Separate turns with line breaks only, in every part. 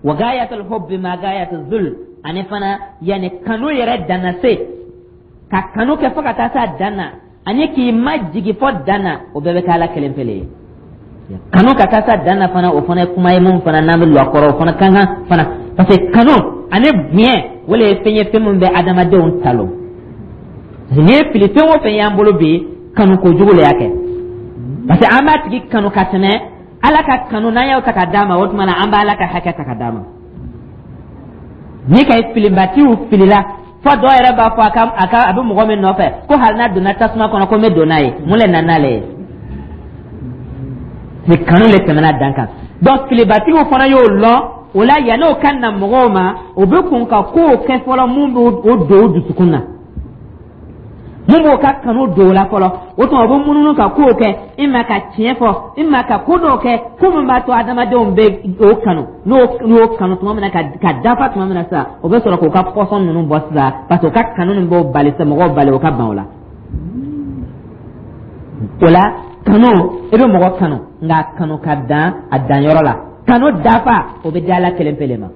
Wa gayatul hubbi ma gayatul zul, ani fana yani kanu yɛrɛ danna se ka kanu kɛ fo ka taa s'a dan na, ani k'i majigi fo dan na, o bɛɛ bɛ kɛ Ala kelen pe le ye. Kanu ka taa s'a dan na fana, o fana ye kuma ye mun fana n'an bɛ lɔ a kɔrɔ, o fana ka kan fana, parce que kanu ani bonya, o le ye fɛn ye, fɛn min bɛ adamadenw talon. N'i ye fili fɛn o fɛn y'an bolo bi, kanu kojugu le y'a kɛ, parce que an b'a tigi kanu ka tɛmɛ Ala ka kanu. N'an y'o ta ka d'a ma, o tuma na an b'Ala ka hakɛ ta ka d'a ma. Ni ka filibatiw filila fo dɔw yɛrɛ b'a fɔ a ka a bɛ mɔgɔ min nɔfɛ ko hali n'a donna tasuma kɔnɔ, ko n bɛ don n'a ye. Mun le nana n'ale ye? Ni kanu le tɛmɛna dan kan. Donc filibatigiw fana y'o lɔn. O la, yann'o ka na mɔgɔw ma, o bɛ kun ka kow kɛ fɔlɔ mun b'o don o dusukun na, mun b'o ka kanu don o la fɔlɔ. O tuma, o bɛ munumunu ka kow kɛ, i ma ka tiɲɛ fɔ, i ma ka ko dɔw kɛ, ko min b'a to adamadenw bɛ o kanu. N'o kanu tuma min na ka dafa tuma min na sisan, o bɛ sɔrɔ k'o ka pɔsɔn ninnu bɔ sisan, parce que o ka kanu nin b'o bali sisan, mɔgɔw bali o ka ban o la. O la, kanu, i bɛ mɔgɔ kanu, nka kanu ka dan a danyɔrɔ la. Kanu dafa, o bɛ di Ala kelen pe le ma.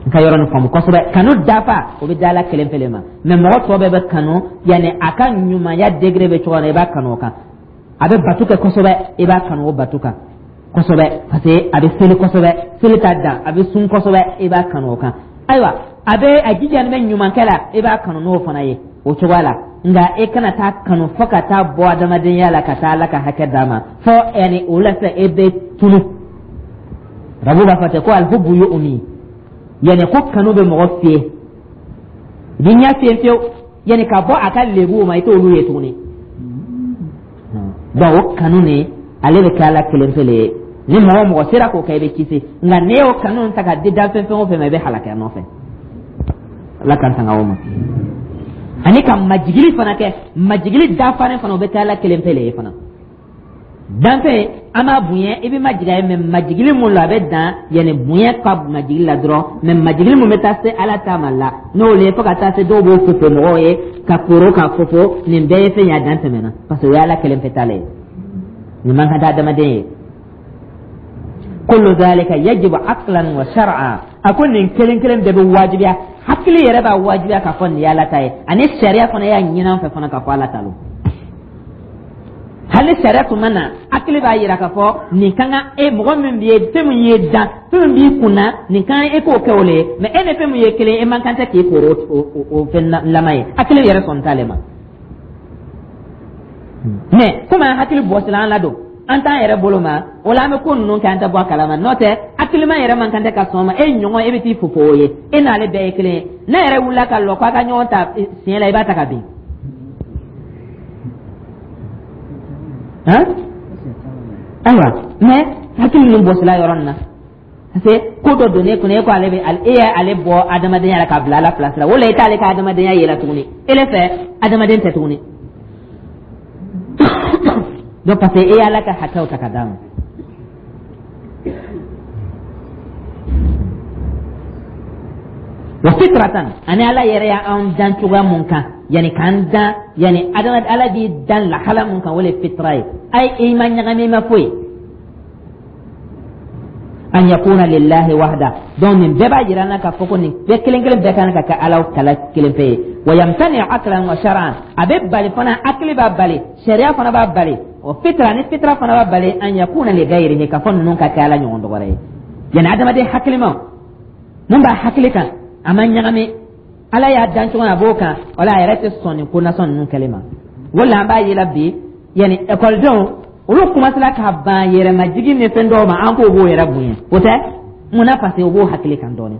N ka yɔrɔ nin faamu kosɛbɛ. Kanu dafa, o bɛ di Ala kelen pe le ma. Mɛ mɔgɔ tɔ bɛɛ bɛ kanu, yanni a ka ɲumanya degré bɛ cogo min na, i b'a kanu o kan. A bɛ bato kɛ kosɛbɛ, i b'a kanu o bato kan kosɛbɛ, parce que a bɛ seli kosɛbɛ, seli t'a dan, a bɛ sun kosɛbɛ, i b'a kanu o kan. Ayiwa, a bɛ a jija ni bɛ ɲumankɛ la, i b'a kanu n'o fana ye o cogoya la. Nka e kana taa kanu fo ka taa bɔ adamadenya la, ka taa Ala ka hakɛ d'a ma, fo yanni o la sisan e bɛ tunu. Arabu b'a fɔ ten ko alhubbu yu'mi, yanni ko kanu bɛ mɔgɔ fiyɛ, i b'i ɲɛ fiyɛ fiyewu, yanni ka bɔ a ka lebuw ma, i t'olu ye tuguni. Donc o kanu nin, ale bɛ kɛ Ala kelen pe le ye. Ni mɔgɔ o mɔgɔ sera k'o kɛ, i bɛ kisi. Nka n'i y'o kanu ta ka di danfɛn fɛn o fɛn ma, i bɛ halaki a nɔfɛ. Ala k'an tanga o ma. Ani ka majigili fana kɛ, majigili dafalen fana, o bɛ kɛ Ala kelen pe le ye fana. Danfɛn, an b'a bonya, i bɛ majigin a ye, mɛ majigili mun la, a bɛ dan yanni bonya ka majigili la dɔrɔn. Mɛ majigili mun bɛ taa se Ala ta ma la, n'o le ye fo ka taa se dɔw b'o fofo mɔgɔw ye ka koro ka fofo, nin bɛɛ ye fɛn ye a dan tɛmɛna, parce que o ye Ala kelen pe ta le ye. Nin man kan tɛ adamaden ye. Kullu dhalika yajibu aqlan wa shar'a. A ko nin kelen kelen bɛɛ bɛ wajibiya, hakili yɛrɛ b'a wajibiya k'a fɔ nin ye Ala ta ye, ani sariya fana y'a ɲini an fɛ fana k'a fɔ Ala ta lo. Hali sariya tun ma na, hakili b'a yira k'a fɔ nin ka kan e mɔgɔ min b'i ye, fɛn min ye dan, fɛn min b'i kun na, nin ka kan e k'o kɛ o le ye. Mɛ e ni fɛn min ye kelen, e man kan tɛ k'i koro o fɛn lama ye. Hakili yɛrɛ sɔn t'ale ma. Mɛ komi an hakili bɔsila an la don, an t'an yɛrɛ bolo ma, o la an bɛ ko ninnu kɛ, an tɛ bɔ a kalama. N'o tɛ, hakilima yɛrɛ man kan tɛ ka sɔn ma e ɲɔgɔn e bɛ t'i fofo o ye, e n'ale bɛɛ ye kelen ye. N'a yɛrɛ wulila ka lɔ k'a ka ɲɔgɔn ta siɲɛ la, i b'a ta ka bin. Ayiwa, mɛ hakili ninnu bɔsila yɔrɔ nin na, parce que ko dɔ donnen kunna, e ko ale bɛ e ye ale bɔ adamadenya la k'a bila Ala place la. O la, e t'ale ka adamadenya yela tuguni, e le fɛ adamaden tɛ tuguni. Donc parce que e y'Ala ka hakɛw ta ka d'a ma. Wa fitratan, ani Ala yɛrɛ y'an dan cogoya mun kan, yani k'an dan, yani adama Ala b'i dan lahala mun kan, o le fitra ye. Ayi, i ma ɲagami, i ma foyi. An yakuna lillahi wahda. Donc nin bɛɛ b'a jira an na k'a fɔ ko nin bɛɛ kelen kelen bɛɛ kan ka kɛ Ala kala kelen pe ye. Wa yamtani aklan wa shar'an, a bɛ bali fana, hakili b'a bali, sariya fana b'a bali, o fitra ni fitra fana b'a bali, an yakuna li ghayrihi, k'a fɔ ninnu ka kɛ Ala ɲɔgɔn dɔ wɛrɛ ye. Yani adamaden hakilima mun b'a hakili kan, a ma ɲagami, Ala y'a dan cogo min a b'o kan, o la a yɛrɛ tɛ sɔn nin ko nasɔn ninnu kɛli ma. O la, an b'a ye la bi, yani ekɔlidenw olu kumasela ka ban yɛrɛmajigin ni fɛn dɔw ma, an k'o b'o yɛrɛ bonya. O tɛ mun na? Parce que o b'o hakili kan dɔɔnin,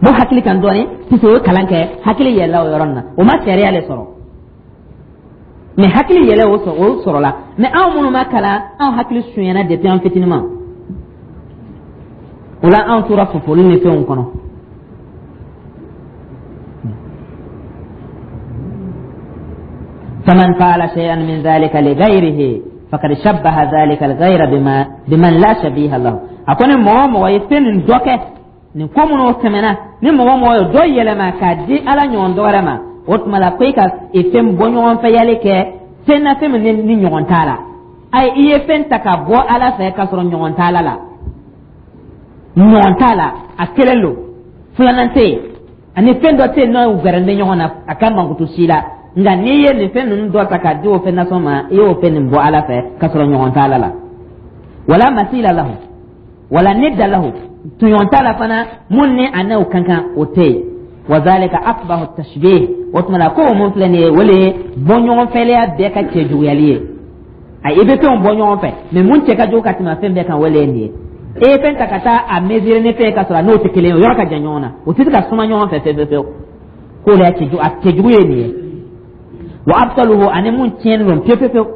b'o hakili kan dɔɔnin, puisque o ye kalan kɛ, hakili yɛlɛla o yɔrɔ nin na. O ma sariya le sɔrɔ, mɛ hakili yɛlɛ o sɔrɔ, o sɔrɔla. Mɛ anw minnu ma kalan, anw hakili sunyana depuis an fitininma. O la, anw tora fofoli ni fɛnw kɔnɔ. Faman fa'ala shay'an min dhalika li ghayrihi faqad shabbaha dhalika al-ghayra bima biman la shabiha lahu. A ko ni mɔgɔ o mɔgɔ ye fɛn nin dɔ kɛ, nin ko minnu tɛmɛna, ni mɔgɔ o mɔgɔ ye dɔ yɛlɛma k'a di Ala ɲɔgɔn dɔ wɛrɛ ma, o tuma la ko i ka fɛn bɔ ɲɔgɔn fɛ yali kɛ fɛn na, fɛn min ni ɲɔgɔn t'a la. Ayi, i ye fɛn ta ka bɔ Ala fɛ k'a sɔrɔ ɲɔgɔn t'Ala la, ɲɔgɔn t'a la, a kelen lo, filanan tɛ yen, ani fɛn dɔ tɛ yen n'o gɛrɛn bɛ ɲɔgɔn na a ka mankutu si la. Nka n'i ye nin fɛn ninnu dɔ ta k'a di o fɛn nasɔn ma, i y'o fɛn nin bɔ Ala fɛ k'a sɔrɔ ɲɔgɔn t'Ala la. Wala masila lahu wala nidda lahu, tɔɲɔgɔn t'a la fana mun ni a n'o ka kan, o tɛ yen. Wa zalika aqbahu tashbih. O tuma la, ko mun filɛ nin ye, o le ye bɔɲɔgɔnfɛlɛya bɛɛ ka cɛjuguyali ye. A i bɛ fɛnw bɔ ɲɔgɔn fɛ, mais mun cɛ ka jugu ka tɛmɛ fɛn bɛɛ kan, o le ye nin ye. E ye fɛn ta ka taa a mesurer ni fɛn ye ka sɔrɔ a n'o tɛ kelen ye, o yɔrɔ ka jan ɲɔgɔn na, o tɛ se ka suma ɲɔgɔn fɛ fewu fewu. K'o de y'a cɛjugu, a cɛjugu ye nin ye. Wa abtaluhu, ani mun tiɲɛnen don pewu pewu pewu.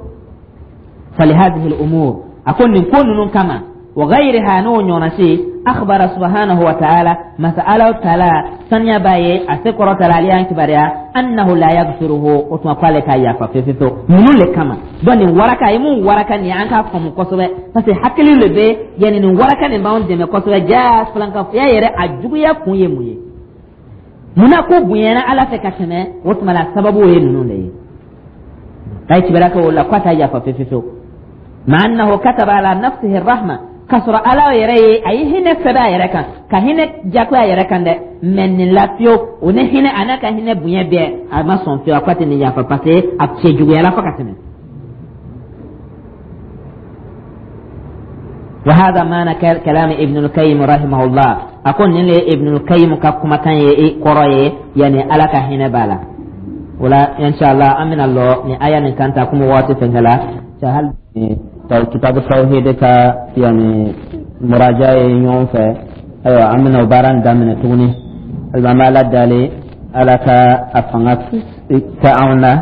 Falihadihi al-umur, a ko nin ko ninnu kama, wa ghayriha, n'o ɲɔgɔnna si, akhbara subhanahu wa ta'ala, masa Ala taala saniya b'a ye, a se kɔrɔ taala, ale y'an kibaruya, annahu la yaghfiruhu, o tuma k'ale t'a yafa fewu fewu ninnu le kama. Donc nin waraka ye mun waraka nin ye, an k'a faamu kosɛbɛ, parce que hakili le bɛ yanni nin waraka nin b'anw dɛmɛ kosɛbɛ. Ja filankafoya yɛrɛ a juguya kun ye mun ye? Munna ko bonyana Ala fɛ ka tɛmɛ? O tuma la, sababu ye ninnu de ye. A ye kibaruya kɛ o la k'a t'a yafa fewu fewu, ma annahu kataba ala nafsihi rahma, k'a sɔrɔ Ala yɛrɛ ye a ye hinɛ sɛbɛn a yɛrɛ kan, ka hinɛ jagoya a yɛrɛ kan dɛ. Mais nin la fiyewu, o ni hinɛ a n'a ka hinɛ bonya bɛɛ, a ma sɔn fiyewu, a ko a tɛ nin yafa, parce que a cɛjuguyala fo ka tɛmɛ. وهذا معنى كلام ابن القيم رحمه الله. أكون نلي ابن القيم كما كان يقرأ، يعني على كهنا بالا ولا إن شاء الله أمن الله ni aya nin kan ta kuma waati fɛnkɛ hali kitabu tawhid ka yani muraja ye ɲɔgɔn fɛ. Ayiwa, an bɛna o baara in daminɛ tuguni. Hali an bɛ Ala dali, Ala ka a fanga kɛ anw na,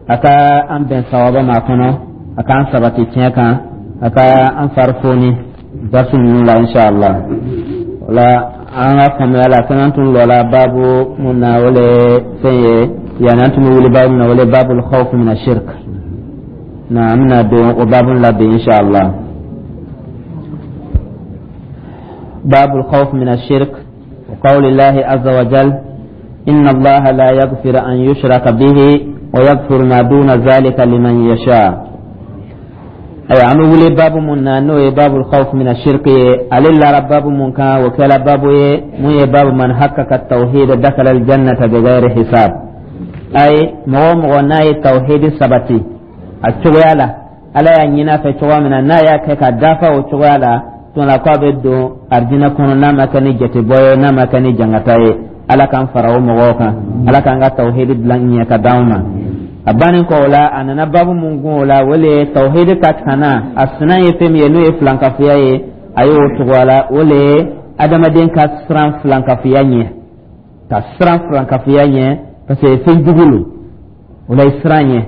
a ka an bɛn sawaba ma a kɔnɔ, a k'an sabati tiɲɛ kan, a ka an fari foni darsu ninnu la inshallah. O la, an ka faamuya la, fɛn an tun lɔla baabu mun na, o le fɛn ye yanni an tun bɛ wuli baabu min na, o le babul khawf min ashirk na. An bɛna don o baabu la bi inshallah. Babul khawf min ashirk wa qawli llahi azza wa jal inna allaha la yaghfiru an yushraka bihi wa yaghfiru ma duna zalika liman yasha. Ayiwa, an bɛ wuli baabu mun na, n'o ye babul khawf min ashirk ye. Ale lara baabu mun kan, o kɛla baabu ye mun ye baabu man haqqaqa tawhid dakhala aljannata bighayri hisab. Ayi, mɔgɔ o mɔgɔ n'a ye tawhid sabati a cogoya la, Ala y'a ɲini a fɛ cogoya min na, n'a y'a kɛ ka dafa o cogoya la, tuma la k'a bɛ don arijinɛ kɔnɔ n'a ma kɛ ni jatebɔ ye, n'a ma kɛ ni jangata ye. Ala k'an fara o mɔgɔw kan, Ala k'an ka tawhidi dilan ɲɛ ka d'anw ma. A bannen kɔ o la, a nana babu mun kun o la, o le ye tawhidi ka tana a sina ye fɛn min ye, n'o ye filankafoya ye. A y'o tugu a la, o le ye adamaden ka siran filankafoya ɲɛ, ka siran filankafoya ɲɛ, parce que fɛn jugu lo. O la, i siran ɲɛ,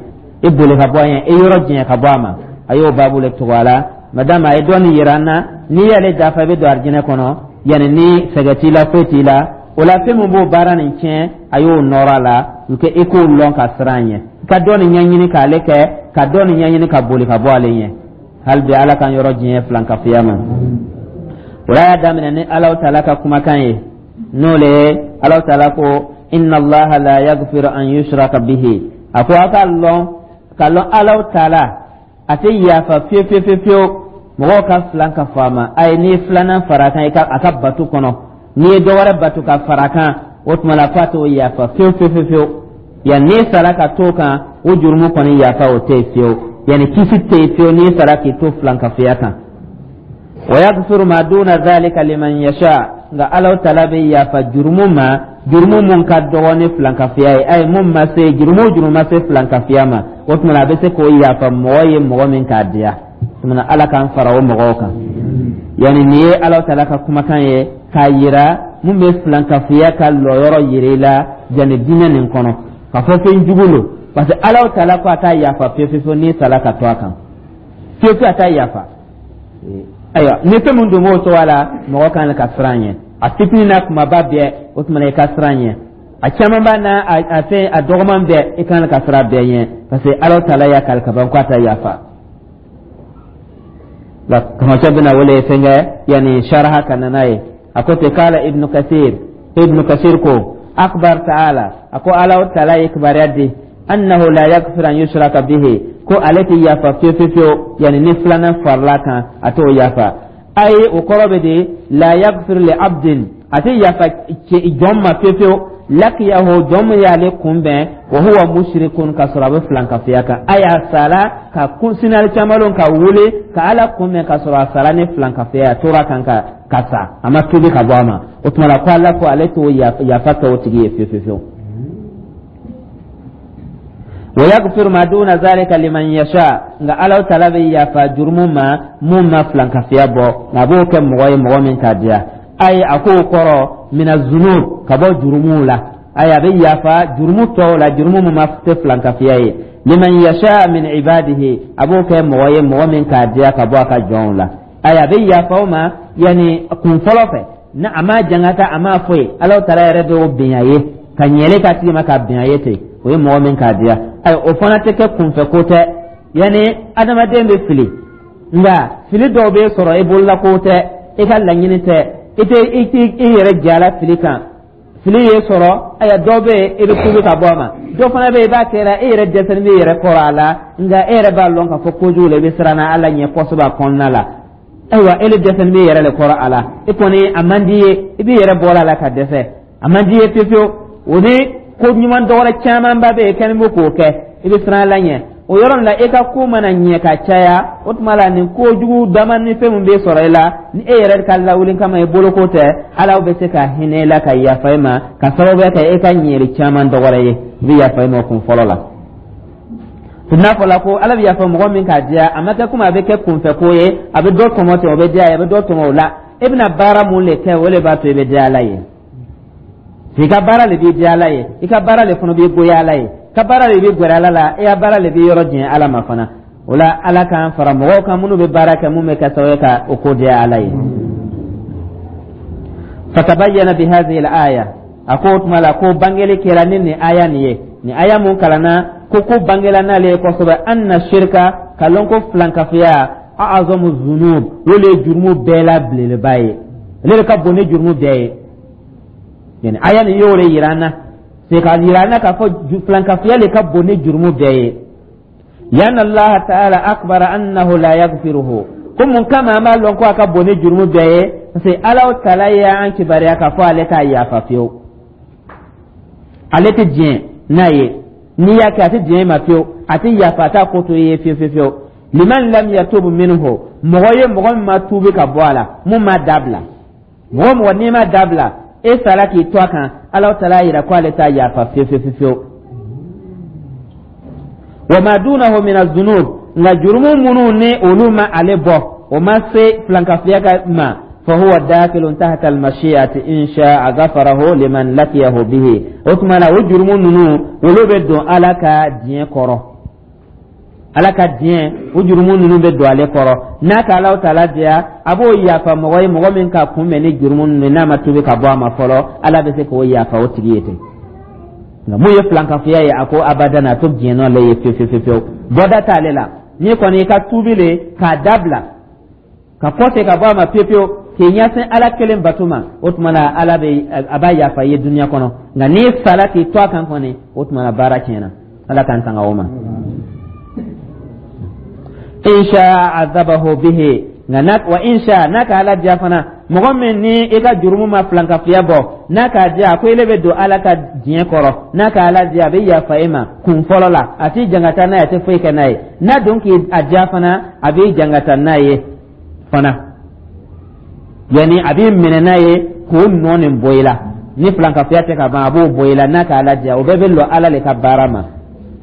i boli ka bɔ a ɲɛ, i yɔrɔ janya ka bɔ a ma. A y'o baabu le tugu a la, madama a ye dɔɔni yira an na, n'i y'ale dafa, i bɛ don arijinɛ kɔnɔ, yanni ni sɛgɛ t'i la, foyi t'i la. O la, fɛn min b'o baara nin tiɲɛ, a y'o nɔrɔ a la u kɛ i k'o lɔn ka siran ɲɛ, ka dɔ nin ɲɛɲini k'ale kɛ, ka dɔ nin ɲɛɲini ka boli ka bɔ ale ɲɛ. Hali bi, Ala k'an yɔrɔ diɲɛ filankafoya ma. O la, y'a daminɛ ni Alahu taala ka kumakan ye, n'o le ye Alahu taala ko inna Allaha la yaghfiru an yushraka bihi. A ko a ka lɔn ka lɔn, Alahu taala a tɛ yafa fiyewu fiyewu fiyewu mɔgɔw ka filan ka fɔ a ma. Ayi, n'i ye filanan fara a kan i ka a ka batu kɔnɔ, n'i ye dɔ wɛrɛ batu ka fara a kan, o tuma la k'a t'o yafa fiyewu fiyewu fiyewu. Yan n'i sara ka t'o kan, o jurumu kɔni yafa o tɛ yen fiyewu, yanni kisi tɛ yen fiyewu n'i sara k'i to filankafoya kan. Wa yaghfiru ma duna dhalika liman yasha, nka Alahu taala bɛ yafa jurumu ma, jurumu mun ka dɔgɔ ni filankafoya ye. Ayi, mun ma se jurumu o jurumu ma se filankafoya ma, o tuma a bɛ se k'o yafa mɔgɔ ye, mɔgɔ min k'a diya. O tuma Ala k'an fara o mɔgɔw kan. Yanni nin ye Alahu taala ka kumakan ye k'a yira mun bɛ filankafoya ka lɔyɔrɔ yira i la yanni diinɛ nin kɔnɔ, k'a fɔ fɛn jugu lo, parce que Alahu taala ko a t'a yafa fiyewu fiyewu n'i sara ka to a kan, fiyewu fiyewu a t'a yafa. Ayiwa, ni fɛn min dun b'o cogoya la, mɔgɔ kan ka siran ɲɛ, a fitinin n'a kumaba bɛɛ, o tuma na i ka siran ɲɛ, a caman b'a n'a a fɛn a dɔgɔman bɛɛ, i kan ka siran bɛɛ ɲɛ, parce que Alahu taala y'a kali ka ban k'a t'a yafa. La kamacɛ bɛna wele fɛnkɛ yanni saraha ka na n'a ye. A ko ten, kala Ibnu Kasir, Ibnu Kasir ko akbar taala, a ko Alahu taala ye kibaruya di, annahu la yaghfiru an yushraka bihi. Ko ale tɛ yafa fiyewu fiyewu fiyewu, yanni ni filanan farala kan, a t'o yafa. Ayi, o kɔrɔ bɛ di? La yaghfir li abdin, a tɛ yafa jɔn ma fiyewu fiyewu, laqiyahu, jɔn min y'ale kunbɛn, wa huwa mushrikun, ka sɔrɔ a bɛ filankafoya kan. A y'a sara ka kun sinali caman ka wuli ka Ala kunbɛn ka sɔrɔ a sara ni filankafoya, a tora kan ka sa, a ma tuubi ka bɔ a ma. O tuma la, ko Ala ko ale t'o yafa kɛ o tigi ye fiyewu fiyewu. Wa yaghfiru ma duna zalika liman yasha, nka Ala taala bɛ yafa jurumu ma mun ma filankafoya bɔ, nka a b'o kɛ mɔgɔ ye, mɔgɔ min k'a diya. Ayi, a k'o kɔrɔ mina zunub, ka bɔ jurumuw la. Ayi, a bɛ yafa jurumu tɔw la, jurumu min ma tɛ filankafoya ye. Liman yasha min ibadihi, a b'o kɛ mɔgɔ ye, mɔgɔ min k'a diya ka bɔ a ka jɔnw la. Ayi, a bɛ yafa o ma, yanni kun fɔlɔ fɛ na, a ma jangata, a ma foyi, Ala taala yɛrɛ bɛ o bɛn a ye ka ɲɛli k'a tigi ma ka bɛn a ye ten. O ye mɔgɔ min k'a diya. Ayi, o fana tɛ kɛ kunfɛ ko tɛ, yanni adamaden bɛ fili, nka fili dɔw bɛ sɔrɔ i bolola ko tɛ, i ka laɲini tɛ, i tɛ i tɛ i yɛrɛ jala fili kan. Fili ye sɔrɔ, ayiwa, dɔw bɛ yen, i bɛ tuubi ka bɔ a ma. Dɔ fana bɛ yen, i b'a kɛra e yɛrɛ dɛsɛlen b'i yɛrɛ kɔrɔ a la, nka e yɛrɛ b'a lɔn k'a fɔ kojugu la, i bɛ siran Ala ɲɛ kosɛbɛ a kɔnɔna la. Ayiwa, e le dɛsɛlen b'i yɛrɛ de kɔrɔ a la, e kɔni a man di ye, i b'i yɛrɛ bɔra a la ka dɛsɛ, a man di ye fiyewu fiyewu. O ni ko ɲuman dɔwɛrɛ camanba bɛ yen kɛlen bɛ k'o kɛ, i bɛ siran Ala ɲɛ o yɔrɔ la. E ka ko mana ɲɛ ka caya, o tuma la nin kojugu dama ni fɛn min bɛ sɔrɔ e la, ni e yɛrɛ ka lawuli kama, i boloko tɛ, Ala bɛ se ka hinɛ e la ka yafa e ma ka sababuya kɛ e ka ɲɛli caman dɔwɛrɛ ye. I bɛ yafa e ma kun fɔlɔ la. N'a fɔra ko Ala bɛ yafa mɔgɔ min k'a diya, a ma kɛ komi a bɛ kɛ kunfɛ ko ye, a bɛ dɔ tɔmɔ ten, o bɛ diya, a bɛ dɔ tɔmɔ o la. E bɛna baara mun de kɛ, o de b'a to i bɛ diya Ala ye. I ka baara de b'i diya Ala ye, i ka baara de fana b'i goya Ala ye, ka baara de b'i gɛrɛ Ala la, i ka baara de b'i yɔrɔ janya Ala ma fana. O la, Ala k'an fara mɔgɔw kan minnu bɛ baara kɛ mun bɛ kɛ sababu ye ka o ko diya Ala ye. Fatabayyana bi hadhihi al-aya, a ko o tuma la ko bangeli kɛra ni nin aya nin ye, nin aya mun kalanna, ko bangela n'ale ye kosɛbɛ, anna shirka, ka lɔn ko filankafoya, a'azamu zunub, o le ye jurumu bɛɛ la belebeleba ye, ale de ka bon ni jurumu bɛɛ ye. Yani aya nin y'o de yira an na, c'est k'a yira an na k'a fɔ filankafoya le ka bon ni jurumu bɛɛ ye. Lianna Allah ta'ala akbara annahu la yaghfiruhu, ko mun kama an b'a lɔn ko a ka bon ni jurumu bɛɛ ye? Parce que Ala taala y'an kibaruya k'a fɔ ale t'a yafa fiyewu, ale tɛ diɲɛ n'a ye. N'i y'a kɛ, a tɛ diɲɛ i ma fiyewu, a tɛ yafa, a t'a ko to i ye fiyewu fiyewu fiyewu. Liman lam yatub minhu, mɔgɔ ye mɔgɔ min ma tuubi ka bɔ a la, mun ma dabila, mɔgɔ mɔgɔ n'i ma dabila, e sara k'i to a kan, Ala taala y'a yira ko ale t'a yafa fiyewu fiyewu fiyewu. Wa ma dunahu min azunub, nka jurumu minnu ni olu ma ale bɔ, o ma se filankafoya ka ma, fa huwa dakilun tahta almashi'ati, in sha'a ghafarahu liman laqiyahu bihi. O tuma la, o jurumu ninnu, olu bɛ don Ala ka diɲɛ kɔrɔ. Ala ka diɲɛ, o jurumu ninnu bɛ don ale kɔrɔ. N'a ka Ala taala diya, a b'o yafa mɔgɔ ye, mɔgɔ min ka kunbɛn ni jurumu ninnu, n'a ma tuubi ka bɔ a ma fɔlɔ, Ala bɛ se k'o yafa o tigi ye ten. Nka mun ye filankafoya ye, a ko abadan, a to diɲɛ nɔ le ye fiyewu fiyewu fiyewu, bɔda t'ale la. N'i kɔni i ka tuubi le k'a dabila, ka kɔse ka bɔ a ma fiyewu fiyewu, k'i ɲɛsin Ala kelen bato ma, o tuma na Ala bɛ a b'a yafa i ye dunuya kɔnɔ. Nka n'i sara k'i to a kan kɔni, o tuma na baara tiɲɛna. Ala k'an tanga o ma. In sha azabahu bihi, nka n'a wa in sha, n'a ka Ala diya fana, mɔgɔ min ni i ka jurumu ma filankafoya bɔ, n'a k'a diya, a ko ele bɛ don Ala ka diɲɛ kɔrɔ. N'a ka Ala diya, a bɛ yafa e ma kun fɔlɔ la, a t'i jangata n'a ye, a tɛ foyi kɛ n'a ye. N'a don k'i a diya fana, a b'i jangata n'a ye fana, yanni a b'i minɛ n'a ye k'o nɔ nin bɔ i la. Ni filankafoya tɛ ka ban, a b'o bɔ i la n'a ka Ala diya. O bɛɛ bɛ lɔ Ala le ka baara ma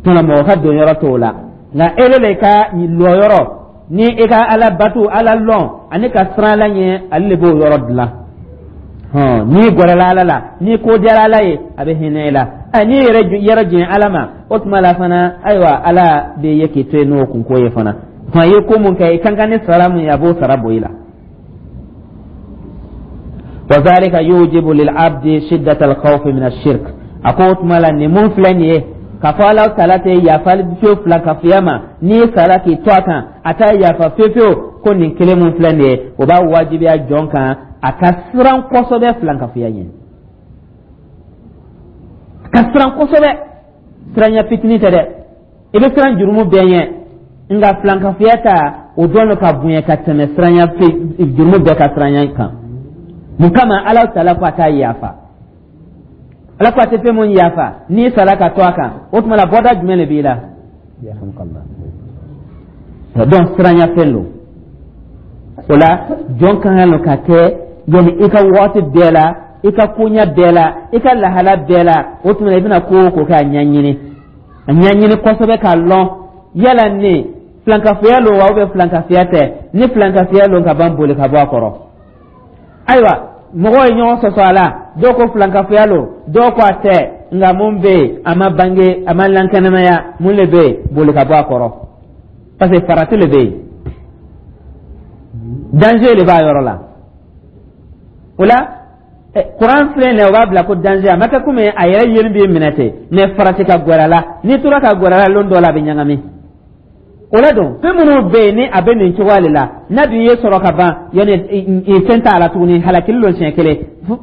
tuma, mɔgɔ ka don yɔrɔ t'o la. Nka ele le ka lɔyɔrɔ ni i ka Ala batu, Ala lɔn ani ka siran Ala ɲɛ, ale le b'o yɔrɔ dilan. Hɔn, n'i gɛrɛla Ala la, n'i ko diyara Ala ye, a bɛ hinɛ i la. Ɛ, n'i yɛrɛ yɔrɔ jɛn Ala ma, o tuma la fana, ayiwa, Ala bɛ ye k'i to yen n'o kunko ye fana. Tuma i ye ko mun kɛ, i kan ka ni sara mun ye, a b'o sara bɔ i la. Wa zalika yujibu lil abdi shiddata al-khawf min ash-shirk, a ko o tuma la nin mun filɛ nin ye, k'a fɔ Ala taala tɛ yafa fiyewu filankafoya ma, n'i sara k'i to a kan, a t'a yafa fiyewu fiyewu, ko nin kelen mun filɛ nin ye, o b'a wajibiya jɔn kan a ka siran kosɛbɛ filankafoya ɲɛ, a ka siran kosɛbɛ. Siranya fitinin tɛ dɛ, i bɛ siran jurumu bɛɛ ɲɛ. Nka filankafoya ta, o dɔn ka bonya ka tɛmɛ siranya jurumu bɛɛ ka siranya kan. Mun kama? Ala taala ko a t'a yafa. Ala ko a tɛ fɛn mun yafa, n'i sara ka to a kan, o tuma la bɔda jumɛn de b'i la? Donc siranya fɛn don. O la, jɔn ka kan ka kɛ yanni i ka waati bɛɛ la, i ka koɲɛ bɛɛ la, i ka lahala bɛɛ la. O tuma i bɛna ko o ko kɛ, a ɲɛɲini, a ɲɛɲini kosɛbɛ k'a lɔn yala ne filankafoya lo wa ou bien filankafoya tɛ. Ni filankafoya lo ka ban, boli ka bɔ a kɔrɔ. Ayiwa, mɔgɔw ye ɲɔgɔn sɔsɔ a la, dɔw ko filankafoya lo, dɔw ko a tɛ. Nka mun bɛ yen? A ma bange, a ma lankɛnɛmaya. Mun de bɛ yen? Boli ka bɔ a kɔrɔ, parce que farati le bɛ yen, danger de b'a yɔrɔ la. O la, kuran filɛ nin ye, o b'a bila ko danger. A ma kɛ komi a yɛrɛ yeli b'i minɛ ten, mais farati ka gwɛrɛ la. N'i tora ka gwɛrɛ la, lon dɔ la a bɛ ɲagami. O la don, fɛn minnu bɛ yen ni a bɛ nin cogoya de la, n'a dun ye sɔrɔ ka ban, yanni fɛn t'a la tuguni, halakili don siɲɛ kelen.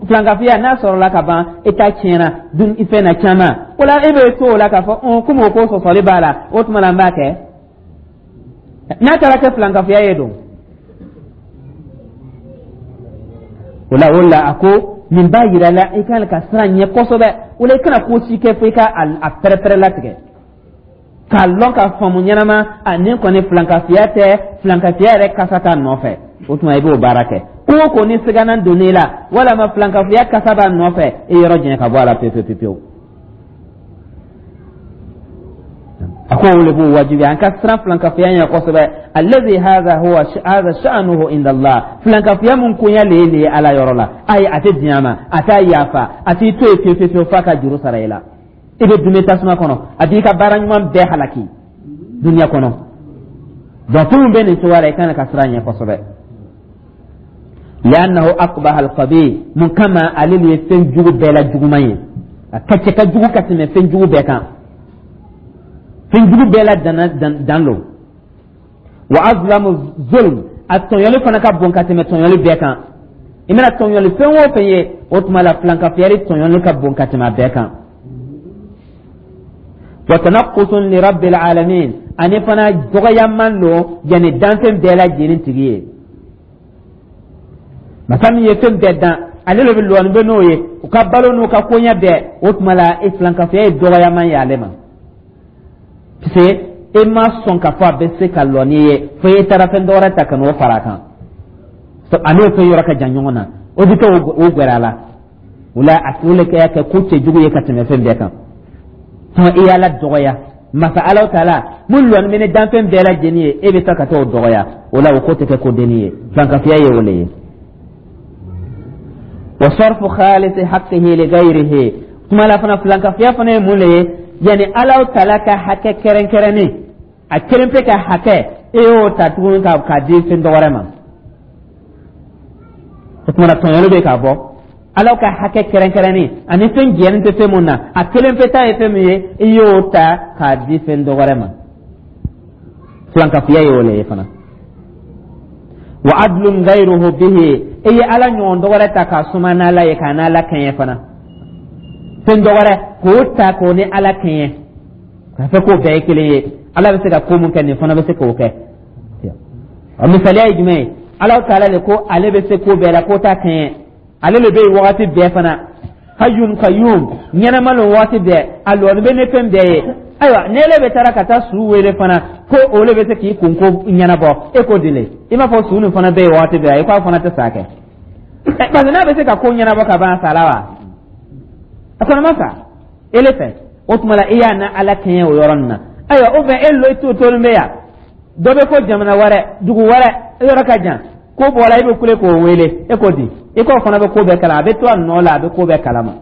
Filankafoya, n'a sɔrɔla ka ban, i ta tiɲɛna dun fɛn na caman. O la, e bɛ to o la k'a fɔ komi o ko sɔsɔli b'a la, o tuma la n b'a kɛ. N'a taara kɛ filankafoya ye don o la. O la, a ko nin b'a yira la i kan ka siran ɲɛ kosɛbɛ. O la, i kana ko si kɛ fo i ka a pɛrɛpɛrɛ latigɛ k'a lɔn, k'a faamu ɲɛnama, a nin kɔni filankafiya tɛ, filankafiya yɛrɛ kasa t'a nɔfɛ. O tuma i b'o baara kɛ. Ko o ko ni sigana donn'i la walama filankafiya kasa b'a nɔfɛ, i yɔrɔ janya ka bɔ a la pewu pewu pewu. A ko o le b'o wajibiya an ka siran filankafiya ɲɛ kosɛbɛ. Allazi hadha huwa hadha sha'nuhu inda Allah. Filankafiya mun koɲa le ye nin ye Ala yɔrɔ la, ayi, a tɛ diɲɛ ma, a t'a yafa, a t'i to yen pewu pewu pewu f'a ka juru sara i la. I bɛ dume tasuma kɔnɔ, a b'i ka baara ɲuman bɛɛ halaki duniya kɔnɔ. Donc fɛn min bɛ nin cogoya la, i kan ka siran ɲɛ kosɛbɛ. Li'annahu aqbaha al-qabih. Mun kama? Ale de ye fɛn jugu bɛɛ la juguman ye, a ka cɛ ka jugu ka tɛmɛ fɛn jugu bɛɛ kan, fɛn jugu bɛɛ la dan dan lo. Wa azlamu zulm, a tɔɲɔli fana ka bon ka tɛmɛ tɔɲɔli bɛɛ kan. I mana tɔɲɔli fɛn o fɛn ye, o tuma la filankafiyali tɔɲɔli ka bon ka tɛmɛ a bɛɛ kan. Wa tanaqqusun li rabbil alamin, ani fana dɔgɔyaman lo yanni danfɛn bɛɛ lajɛlen tigi ye. Masa min ye fɛn bɛɛ dan, ale de bɛ lɔni bɛ n'o ye, u ka balo n'u ka koɲɛ bɛɛ. O tuma la, e filankafoya ye dɔgɔyaman ye ale ma, parce que e ma sɔn k'a fɔ a bɛ se ka lɔ n'i ye, fo e taara fɛn dɔwɛrɛ ta ka n'o fara a kan. A n'o fɛn yɔrɔ ka jan ɲɔgɔn na, o bɛ kɛ o gwɛrɛ a la. O la, a o le kɛ kɛ ko cɛjugu ye ka tɛmɛ fɛn bɛɛ kan. Tuma i y'Ala dɔgɔya, masa Ala taala mun lɔni bɛ ni danfɛn bɛɛ lajɛlen ye, e bɛ taa ka taa o dɔgɔya. O la, o ko tɛ kɛ ko denni ye, filankafoya ye o le ye. Wa sarfu khalisi haqqihi li ghayrihi. Tuma la fana, filankafoya fana ye mun le ye? Yani Ala taala ka hakɛ kɛrɛnkɛrɛnnen, a kelen pe ka hakɛ, e y'o ta tuguni ka k'a di fɛn dɔ wɛrɛ ma. O tuma na, tɔɲɔli bɛ k'a bɔ Ala ka hakɛ kɛrɛnkɛrɛnnen ani fɛn jɛlen tɛ fɛn mun na, a kelen pe ta ye fɛn min ye, i y'o ta k'a di fɛn dɔ wɛrɛ ma. Filankafoya ye o le ye fana. Wa adlun ghayruhu bihi, i ye Ala ɲɔgɔn dɔ wɛrɛ ta k'a suma n'Ala ye, k'a n'Ala kɛɲɛ fana. Fɛn dɔ wɛrɛ k'o ta k'o ni Ala kɛɲɛ, k'a fɔ k'o bɛɛ ye kelen ye, Ala bɛ se ka ko mun kɛ, nin fana bɛ se k'o kɛ. A misaliya ye jumɛn ye? Ala taala de ko ale bɛ se ko bɛɛ la, ko t'a kɛɲɛ, ale de bɛ yen wagati bɛɛ fana, hayyun qayyum, ɲɛnama lo waati bɛɛ, a lɔni bɛ ni fɛn bɛɛ ye. Ayiwa, ni ele bɛ taara ka taa su wele fana ko o le bɛ se k'i kunko ɲɛnabɔ, e ko dile i b'a fɔ su nin fana bɛ yen waati bɛɛ, i k'a fana tɛ sa kɛ, parce que n'a bɛ se ka ko ɲɛnabɔ ka ban, a sala wa? A kɔni ma sa ele fɛ. O tuma la, i y'a na Ala kɛɲɛ o yɔrɔ nin na. Ayiwa, o fɛ e lo to tolen bɛ yan, dɔ bɛ fɔ jamana wɛrɛ, dugu wɛrɛ, yɔrɔ ka jan, ko bɔra, i bɛ kule k'o wele, e ko di? I k'o fana bɛ ko bɛɛ kala, a bɛ to a nɔ la, a bɛ ko bɛɛ kalama,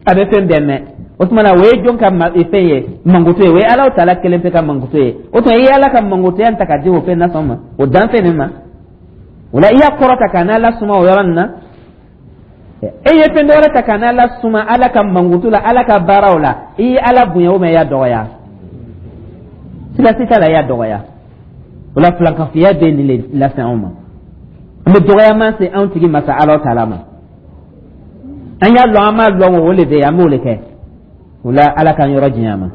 a bɛ fɛn bɛɛ mɛn. O tuma na, o ye jɔn ka fɛn ye? Mankutu ye. O ye Ala taala kelen pe ka mankutu ye. O tuma i ye Ala ka mankutuya ta ka di o fɛn nasɔn ma, o danfɛn nin ma. O la, i y'a kɔrɔta ka n'Ala suma o yɔrɔ nin na. E ye fɛn dɔ wɛrɛ ta ka n'Ala suma Ala ka mankutu la, Ala ka baaraw la, i ye Ala bonya o ma, i y'a dɔgɔya? Siga si t'a la, i y'a dɔgɔya. O la, filankafoya bɛ nin le lase anw ma. An bɛ dɔgɔyama se anw tigi masa Ala taala ma. An y'a lɔn, an m'a lɔn, o le bɛ yen, an b'o le kɛ. O la, Ala k'an yɔrɔ janya ma.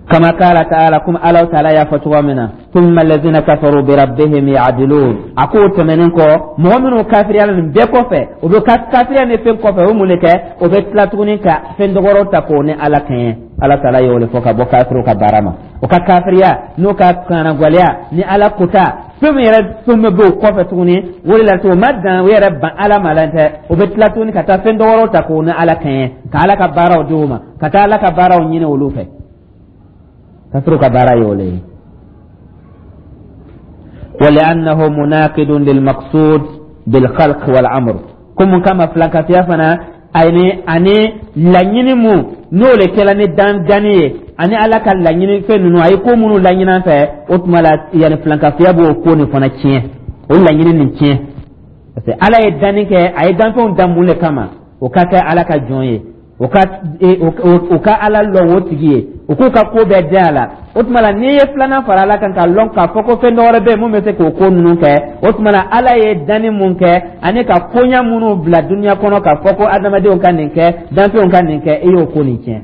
Kama qala ta'ala, kum Ala ta'ala y'a fɔ cogo min na: thumma allazina kafaru bi rabbihim ya'dilun. A k'o tɛmɛnen kɔ, mɔgɔ minnu kafiriyala nin bɛɛ kɔfɛ, o bɛ kafiriya ni fɛn kɔfɛ, o mun de kɛ? O bɛ tila tuguni ka fɛn dɔgɔrɔw ta k'o ni Ala kɛɲɛ. Ala ta'ala y'o de fɔ ka bɔ kafiriw ka baara ma. O ka kafiriya n'o ka kanagwaleya ni Ala kota fɛn min yɛrɛ, fɛn min bɛ o kɔfɛ tuguni, o de la o ma dan o yɛrɛ ban Ala ma la tɛ, o bɛ tila tuguni ka taa fɛn dɔgɔrɔw ta k'o ni Ala kɛɲɛ, ka Ala ka baaraw di o ma, ka taa Ala ka baaraw ɲini olu fɛ. Kafiriw ka baara y'o le ye. ولأنه مناقض للمقصود بالخلق والأمر. Ko mun kama filankafiya fana ani laɲini mun n'o le kɛla ni dan danni ye, ani Ala ka laɲini fɛn ninnu, a ye ko minnu laɲini an fɛ, o tuma la, yanni filankafiya b'o ko nin fana tiɲɛ, o laɲini nin tiɲɛ, parce que Ala ye danni kɛ, a ye danfɛnw dan mun de kama? O ka kɛ Ala ka jɔn ye, o ka Ala lɔn o tigi ye, o k'u ka ko bɛɛ den a la. O tuma la, n'i ye filanan fara Ala kan k'a lɔn k'a fɔ ko fɛn dɔ wɛrɛ bɛ yen mun bɛ se k'o ko ninnu kɛ, o tuma la, Ala ye danni mun kɛ ani ka koɲa minnu bila duniya kɔnɔ k'a fɔ ko adamadenw ka nin kɛ, danfɛnw ka nin kɛ, e y'o ko nin tiɲɛ.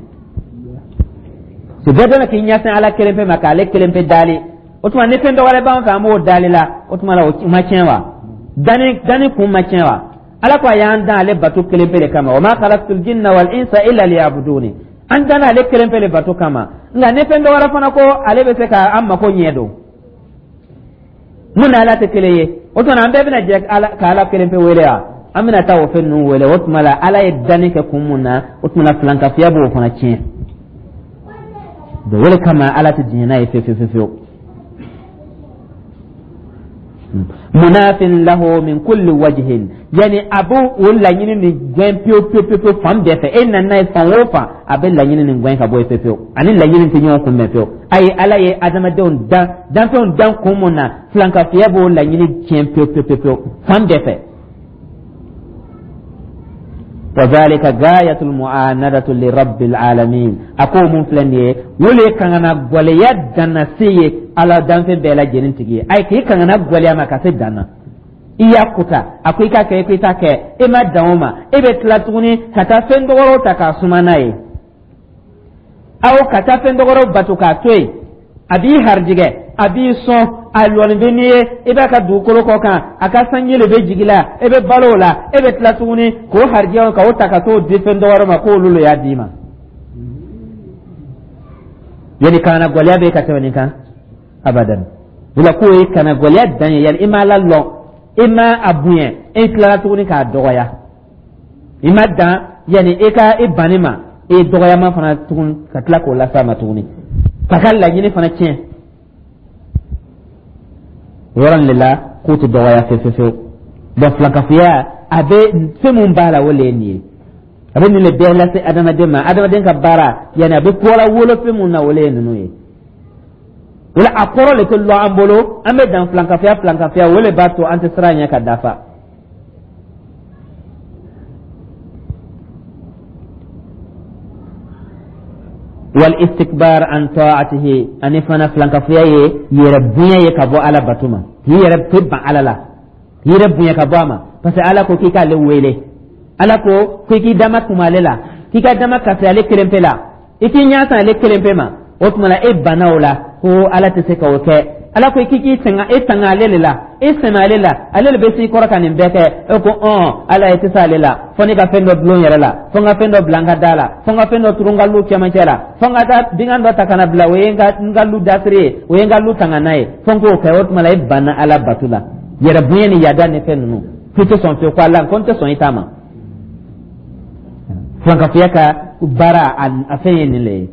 So bɛɛ dɔn k'i ɲɛsin Ala kelen pe ma, k'ale kelen pe dali. O tuma, ni fɛn dɔ wɛrɛ b'an fɛ, an b'o dali la, o tuma la, o ma tiɲɛ wa? Danni kun ma tiɲɛ wa? Ala ko a y'an dan ale bato kelen pe de kama: wa ma khalaqtul jinna wal insa illa liya'buduni. An danna ale kelen pe de bato kama. Nka ni fɛn dɔ wɛrɛ fana ko ale bɛ se ka an mako ɲɛ don mun na, Ala tɛ kelen ye. O tuma, an bɛɛ bɛna jɛ ka Ala kelen pe wele wa? An bɛna taa o fɛn ninnu wele. O tuma la, Ala ye danni kɛ kun mun na, o tuma la, filankafiya b'o fana tiɲɛ. O de kama Ala tɛ diɲɛ n'a ye fewu fewu fewu. Munafin lahu min kulli wajhin, yani a b'o o laɲini nin gɛn pewu pewu pewu pewu fan bɛɛ fɛ. E nana n'a ye fan o fan, a bɛ laɲini nin gɛn ka bɔ yen pewu pewu, ani laɲini tɛ ɲɔgɔn kunbɛn pewu. Ayi, Ala ye adamadenw dan, danfɛnw dan kun mun na, filankafiya b'o laɲini tiɲɛ pewu pewu pewu pewu fan bɛɛ fɛ. Wa zalika gayatul mu'anadatu li rabbil alamin. A ko mun filɛ nin ye, o le ye kangana gwɛlɛya danna se ye Ala danfɛn bɛɛ lajɛlen tigi ye. Ayi, k'i kangana gwɛlɛya ma ka se dan na, i y'a kuta, a ko i k'a kɛ, i ko i t'a kɛ, e ma dan o ma, e bɛ tila tuguni ka taa fɛn dɔgɔrɔw ta k'a suma n'a ye, aw ka taa fɛn dɔgɔrɔw bato k'a to yen. A b'i harijigɛ, a b'i sɔn, a lɔni bɛ n'i ye, i b'a ka dugukolo kɔ kan, a ka sanji le bɛ jigi la, e bɛ balo o la, e bɛ tila tuguni k'o harijigɛ k'o ta ka t'o di fɛn dɔwɛrɛ ma k'olu le y'a d'i ma. Yani kana gwɛlɛya bɛ ka tɛmɛ nin kan abadan. O la, k'o ye kana gwɛlɛya dan ye. Yani i ma Ala lɔn, i ma a bonya, e tilala tuguni k'a dɔgɔya. I ma dan yani i ka i banni ma, i ye dɔgɔyama fana tuguni ka tila k'o las'a ma tuguni, k'a ka laɲini fana tiɲɛ. O yɔrɔ nin de la, k'o tɛ dɔgɔya fewu fewu fewu. Donc filankafoya, a bɛ fɛn mun b'a la, o le ye nin ye. A bɛ nin de bɛɛ lase adamaden ma. Adamaden ka baara, yanni a bɛ kɔla wolo fɛn mun na, o le ye ninnu ye. O la, a kɔrɔ le tɛ lɔ an bolo, an bɛ dan filankafoya. Filankafoya, o le b'a to an tɛ siran ɲɛ ka dafa. Wal istikbar an ta'atihi, ani fana filankafoya ye yɛrɛ bonya ye ka bɔ Ala bato ma, k'i yɛrɛ tɛ ban Ala la, k'i yɛrɛ bonya ka bɔ a ma, parce que Ala ko k'i k'ale wele, Ala ko k'i k'i dama kuma ale la, k'i ka dama kasi ale kelen pe la, i k'i ɲɛ san ale kelen pe ma. O tuma la, e banna o la ko Ala tɛ se k'o kɛ. Ala ko k'i k'i tanga, e tanga ale de la, e sɛmɛ ale la, ale de bɛ s'i kɔrɔ ka nin bɛɛ kɛ. E ko ɔn, Ala ye tɛ se ale la, fo ne ka fɛn dɔ dulon yɛrɛ la, fo n ka fɛn dɔ bila n ka da la, fo n ka fɛn dɔ turu n ka lu cɛmancɛ la, fo n ka taa bingan dɔ ta ka na bila, o ye n ka lu dasiri ye, o ye n ka lu tanga n'a ye, fo n k'o kɛ. O tuma la, e banna Ala bato la. Yɛrɛ bonya ni yada ni fɛn ninnu, k'i tɛ sɔn fiyewu, ko Ala ko n tɛ sɔn i ta ma. Filankafoya ka baara, a fɛn ye nin le ye.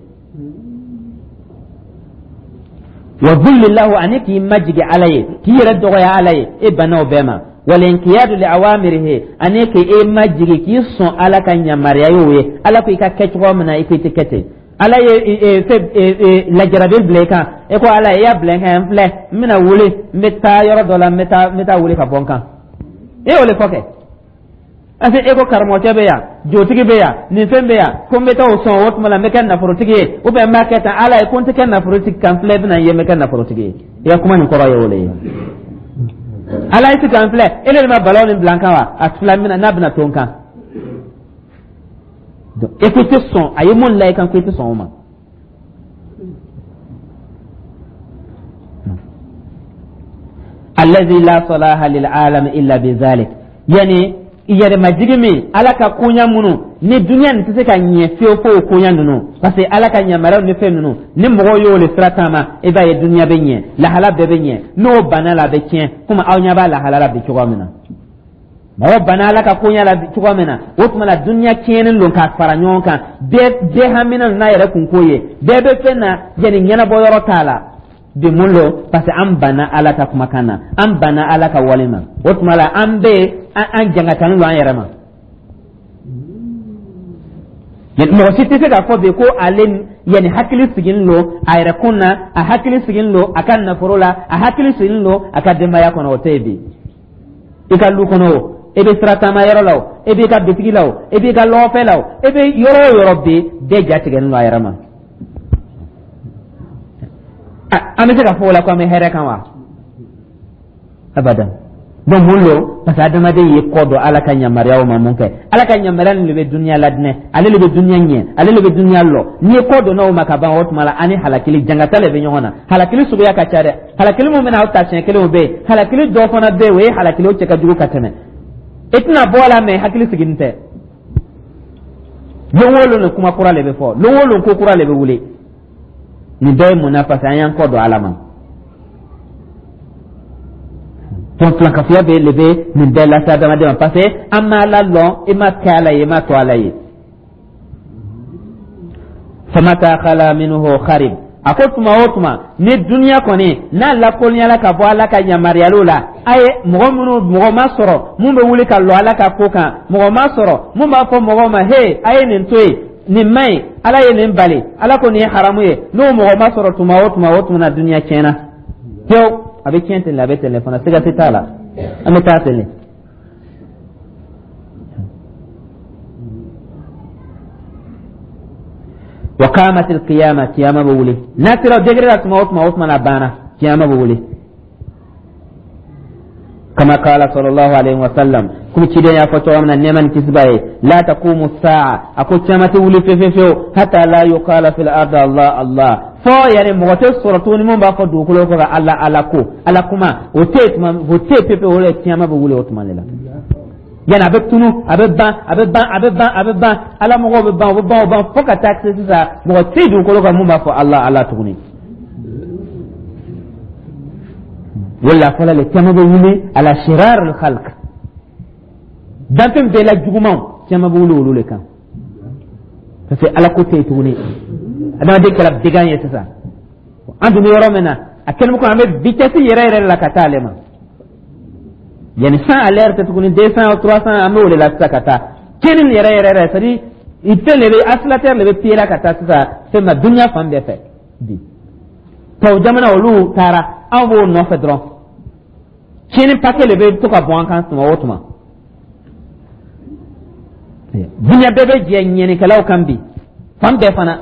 Wa dhulli lahu, ani k'i majigi Ala ye, k'i yɛrɛ dɔgɔya Ala ye, e banna o bɛɛ ma. Walinkiyadu li awamirihi, ani k'i majigi k'i sɔn Ala ka yamaruya y'o ye. Ala ko i ka kɛ cogo min na, i ko i tɛ kɛ ten. Ala ye fɛn lajarabi bila i kan, e ko Ala i y'a bila n kan, n filɛ, n bɛna wuli, n bɛ taa yɔrɔ dɔ la, n bɛ taa wuli ka bɔ n kan. E y'o de fɔ kɛ, parce que e ko karamɔgɔcɛ bɛ yan, jotigi bɛ yan, nin fɛn bɛ yan, ko n bɛ taa o sɔn, o tuma la n bɛ kɛ nafolotigi ye, ou bien n b'a kɛ tan. Ala ye ko n tɛ kɛ nafolotigi kan filɛ, i bɛna n ye n bɛ kɛ nafolotigi ye. I ka kuma nin kɔrɔ ye o de ye. Ala ye sisan filɛ, e de ma balaw nin bila n kan wa? A filɛ, n bɛna n'a bɛna to n kan. Donc e ko i tɛ sɔn, a ye mun la i kan ko i tɛ sɔn o ma. Allazi la salaha lil alam illa bi zalik, yani yɛrɛmajigi min Ala ka koɲa minnu ni duniya nin tɛ se ka ɲɛ fiyewu fo o koɲa ninnu, parce que Ala ka yamaruyaw ni fɛn ninnu, ni mɔgɔw y'o le sira taama, i b'a ye duniya bɛ ɲɛ, lahala bɛɛ bɛ ɲɛ. N'o banna la, a bɛ tiɲɛ, komi aw ɲɛ b'a lahala la bi cogoya min na. Mɔgɔ banna Ala ka koɲa la cogoya min na, o tuma la duniya tiɲɛnen don k'a fara ɲɔgɔn kan. Bɛɛ hamina n'a yɛrɛ kunko ye, bɛɛ bɛ fɛn na, yanni ɲɛnabɔ yɔrɔ t'a la bi. Mun lo? Parce que an banna Ala ka kumakan na, an banna Ala ka wale ma. O tuma la an bɛ an jangatani don an yɛrɛ ma. Mɔgɔ si tɛ se k'a fɔ bi ko ale yanni hakili sigilen don a yɛrɛ kun na, a hakili sigilen don a ka nafolo la, a hakili sigilen don a ka denbaya kɔnɔ. O tɛ yen bi. I ka lu kɔnɔ o, e bɛ sira taama yɔrɔ la o, e b'i ka bitigi la o, e b'i ka lɔgɔfɛ la o, e bɛ yɔrɔ o yɔrɔ bi, bɛɛ ja tigɛlen don a yɛrɛ ma. An bɛ se ka fɔ o la ko an bɛ hɛrɛ kan wa? Abadan. Donc mun lo? Parce que adamaden ye kɔ don Ala ka yamaruyaw ma. Mun kɛ? Ala ka yamaruya nin de bɛ duniya ladinɛ, ale de bɛ duniya ɲɛ, ale de bɛ duniya lɔ. N'i ye kɔ donna o ma ka ban, o tuma la ani halakili jangata de bɛ ɲɔgɔn na. Halakili suguya ka ca dɛ. Halakili mun bɛna aw ta siɲɛ kelen, o bɛ yen. Halakili dɔ fana bɛ yen, o ye halakili o cɛ ka jugu ka tɛmɛ. I tɛna bɔ a la, mɛ hakili sigilen tɛ. Lon o lon kuma kura de bɛ fɔ, lon o lon ko kura de bɛ wuli. Nin bɛɛ ye mun na? Parce que an y'an kɔ don Ala ma. Donc filankafoya bɛ le bɛ nin bɛɛ lase adamaden ma, parce que an ma Ala lɔn, i ma kɛ Ala ye, i ma to Ala ye. Famata khala minhu kharib. A ko tuma o tuma ni duniya kɔni n'a lakolonyala ka bɔ Ala ka yamaruyaliw la, a ye mɔgɔ minnu, mɔgɔ ma sɔrɔ mun bɛ wuli ka lɔ Ala ka ko kan, mɔgɔ ma sɔrɔ mun b'a fɔ mɔgɔw ma: he, a ye nin to yen, nin man ɲi, Ala ye nin bali, Ala ko nin ye haramu ye. N'o mɔgɔ ma sɔrɔ tuma o tuma, o tuma na duniya tiɲɛna pewu. A bɛ tiɲɛ ten de, a bɛ ten de fana, siga tɛ t'a la, an bɛ taa ten de. Wa qamat alqiyama, kiyama bɛ wuli. N'a sera degré la tuma o tuma, o tuma na a banna, kiyama bɛ wuli. Kama qala sallallahu alaihi wa sallam, komi ciden y'a fɔ cogo min na, nɛɛma ni kisi b'a ye: la taqumu saa, a ko kiyama tɛ wuli fefe fewu, hatta la yuqala fil ardi Allah Allah, fɔ yani mɔgɔ tɛ sɔrɔ tuguni mun b'a fɔ dugukolo kɔ kan Ala Ala ko Ala kuma, o tɛ yen tuma, o tɛ yen pepe. O de kiyama bɛ wuli o tuma de la. Yani a bɛ tunu, a bɛ ban, a bɛ ban, a bɛ ban, a bɛ ban, Ala mɔgɔw bɛ ban, u bɛ ban, u ban, fo ka taa se sisan mɔgɔ tɛ dugukolo kan mun b'a fɔ Allah Allah tuguni. Wala fɔlɔ le kiyama bɛ wuli ala shirar al khalq, danfɛn bɛɛ la jugumanw, kiyama bɛ wuli olu le kan, parce que Ala ko tɛ yen tuguni, adamaden kɛra began ye sisan. An dun bɛ yɔrɔ min na, a kɛlen bɛ ko an bɛ vitesse yɛrɛ yɛrɛ la ka taa ale ma, yani 100 à l'heure tɛ tuguni, 200, 300, an bɛ o de la sisan ka taa tiɲɛni yɛrɛ yɛrɛ yɛrɛ, c'est à dire fɛn de bɛ accélérateur de bɛ pied la ka taa sisan fɛn ma duniya fan bɛɛ fɛ bi. Tubabu jamana olu taara, anw b'o nɔfɛ dɔrɔn, tiɲɛni paquet de bɛ to ka bɔn an kan tuma o tuma. Duniya bɛɛ bɛ jɛ ɲɛnikɛlaw kan bi fan bɛɛ fana.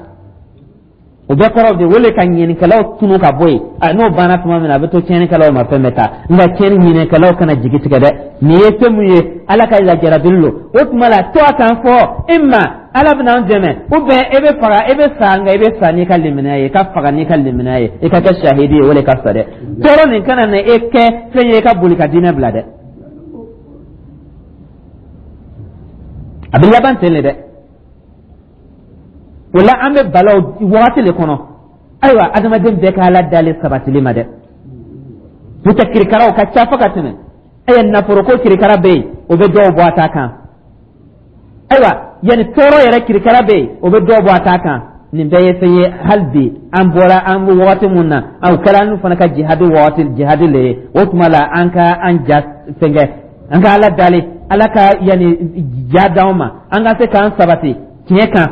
O bɛɛ kɔrɔ de wele ka ɲɛnikɛlaw tunu ka bɔ yen. N'o banna tuma min na, a bɛ to tiɲɛnikɛlaw ma, fɛn bɛ taa. Nka tiɲɛni ɲinikɛlaw kana jigi tigɛ dɛ. Nin ye fɛn mun ye? Ala ka lajarabili lo. O tuma la to a kan fɔ e ma, Ala bɛna an dɛmɛ, ou bien e bɛ faga, e bɛ sa, nka i bɛ sa n'i ka limaniya ye, i ka faga n'i ka limaniya ye, i ka kɛ sahidi ye, o de ka fisa dɛ. Tɔɔrɔ nin kana na e kɛ fɛn ye i ka boli ka diinɛ bila dɛ. A bɛ laban ten de dɛ. O la an bɛ balaw wagati de kɔnɔ. Ayiwa, adamaden bɛɛ ka Ala dalen sabatili ma dɛ, n'o tɛ kirikaraw ka ca fo ka tɛmɛ. Ayiwa, nafoloko kirikara bɛ yen, o bɛ dɔw bɔ a ta kan. Ayiwa, yanni tɔɔrɔ yɛrɛ kirikara bɛ yen, o bɛ dɔw bɔ a ta kan. Nin bɛɛ ye fɛn ye. Hali bi an bɔra an bɛ wagati mun na, o kɛra an fana ka jihadi wagati, jihadi le ye. O tuma la an ka an ja fɛnkɛ, an ka Ala dali, Ala ka yanni ja d'anw ma, an ka se k'an sabati tiɲɛ kan.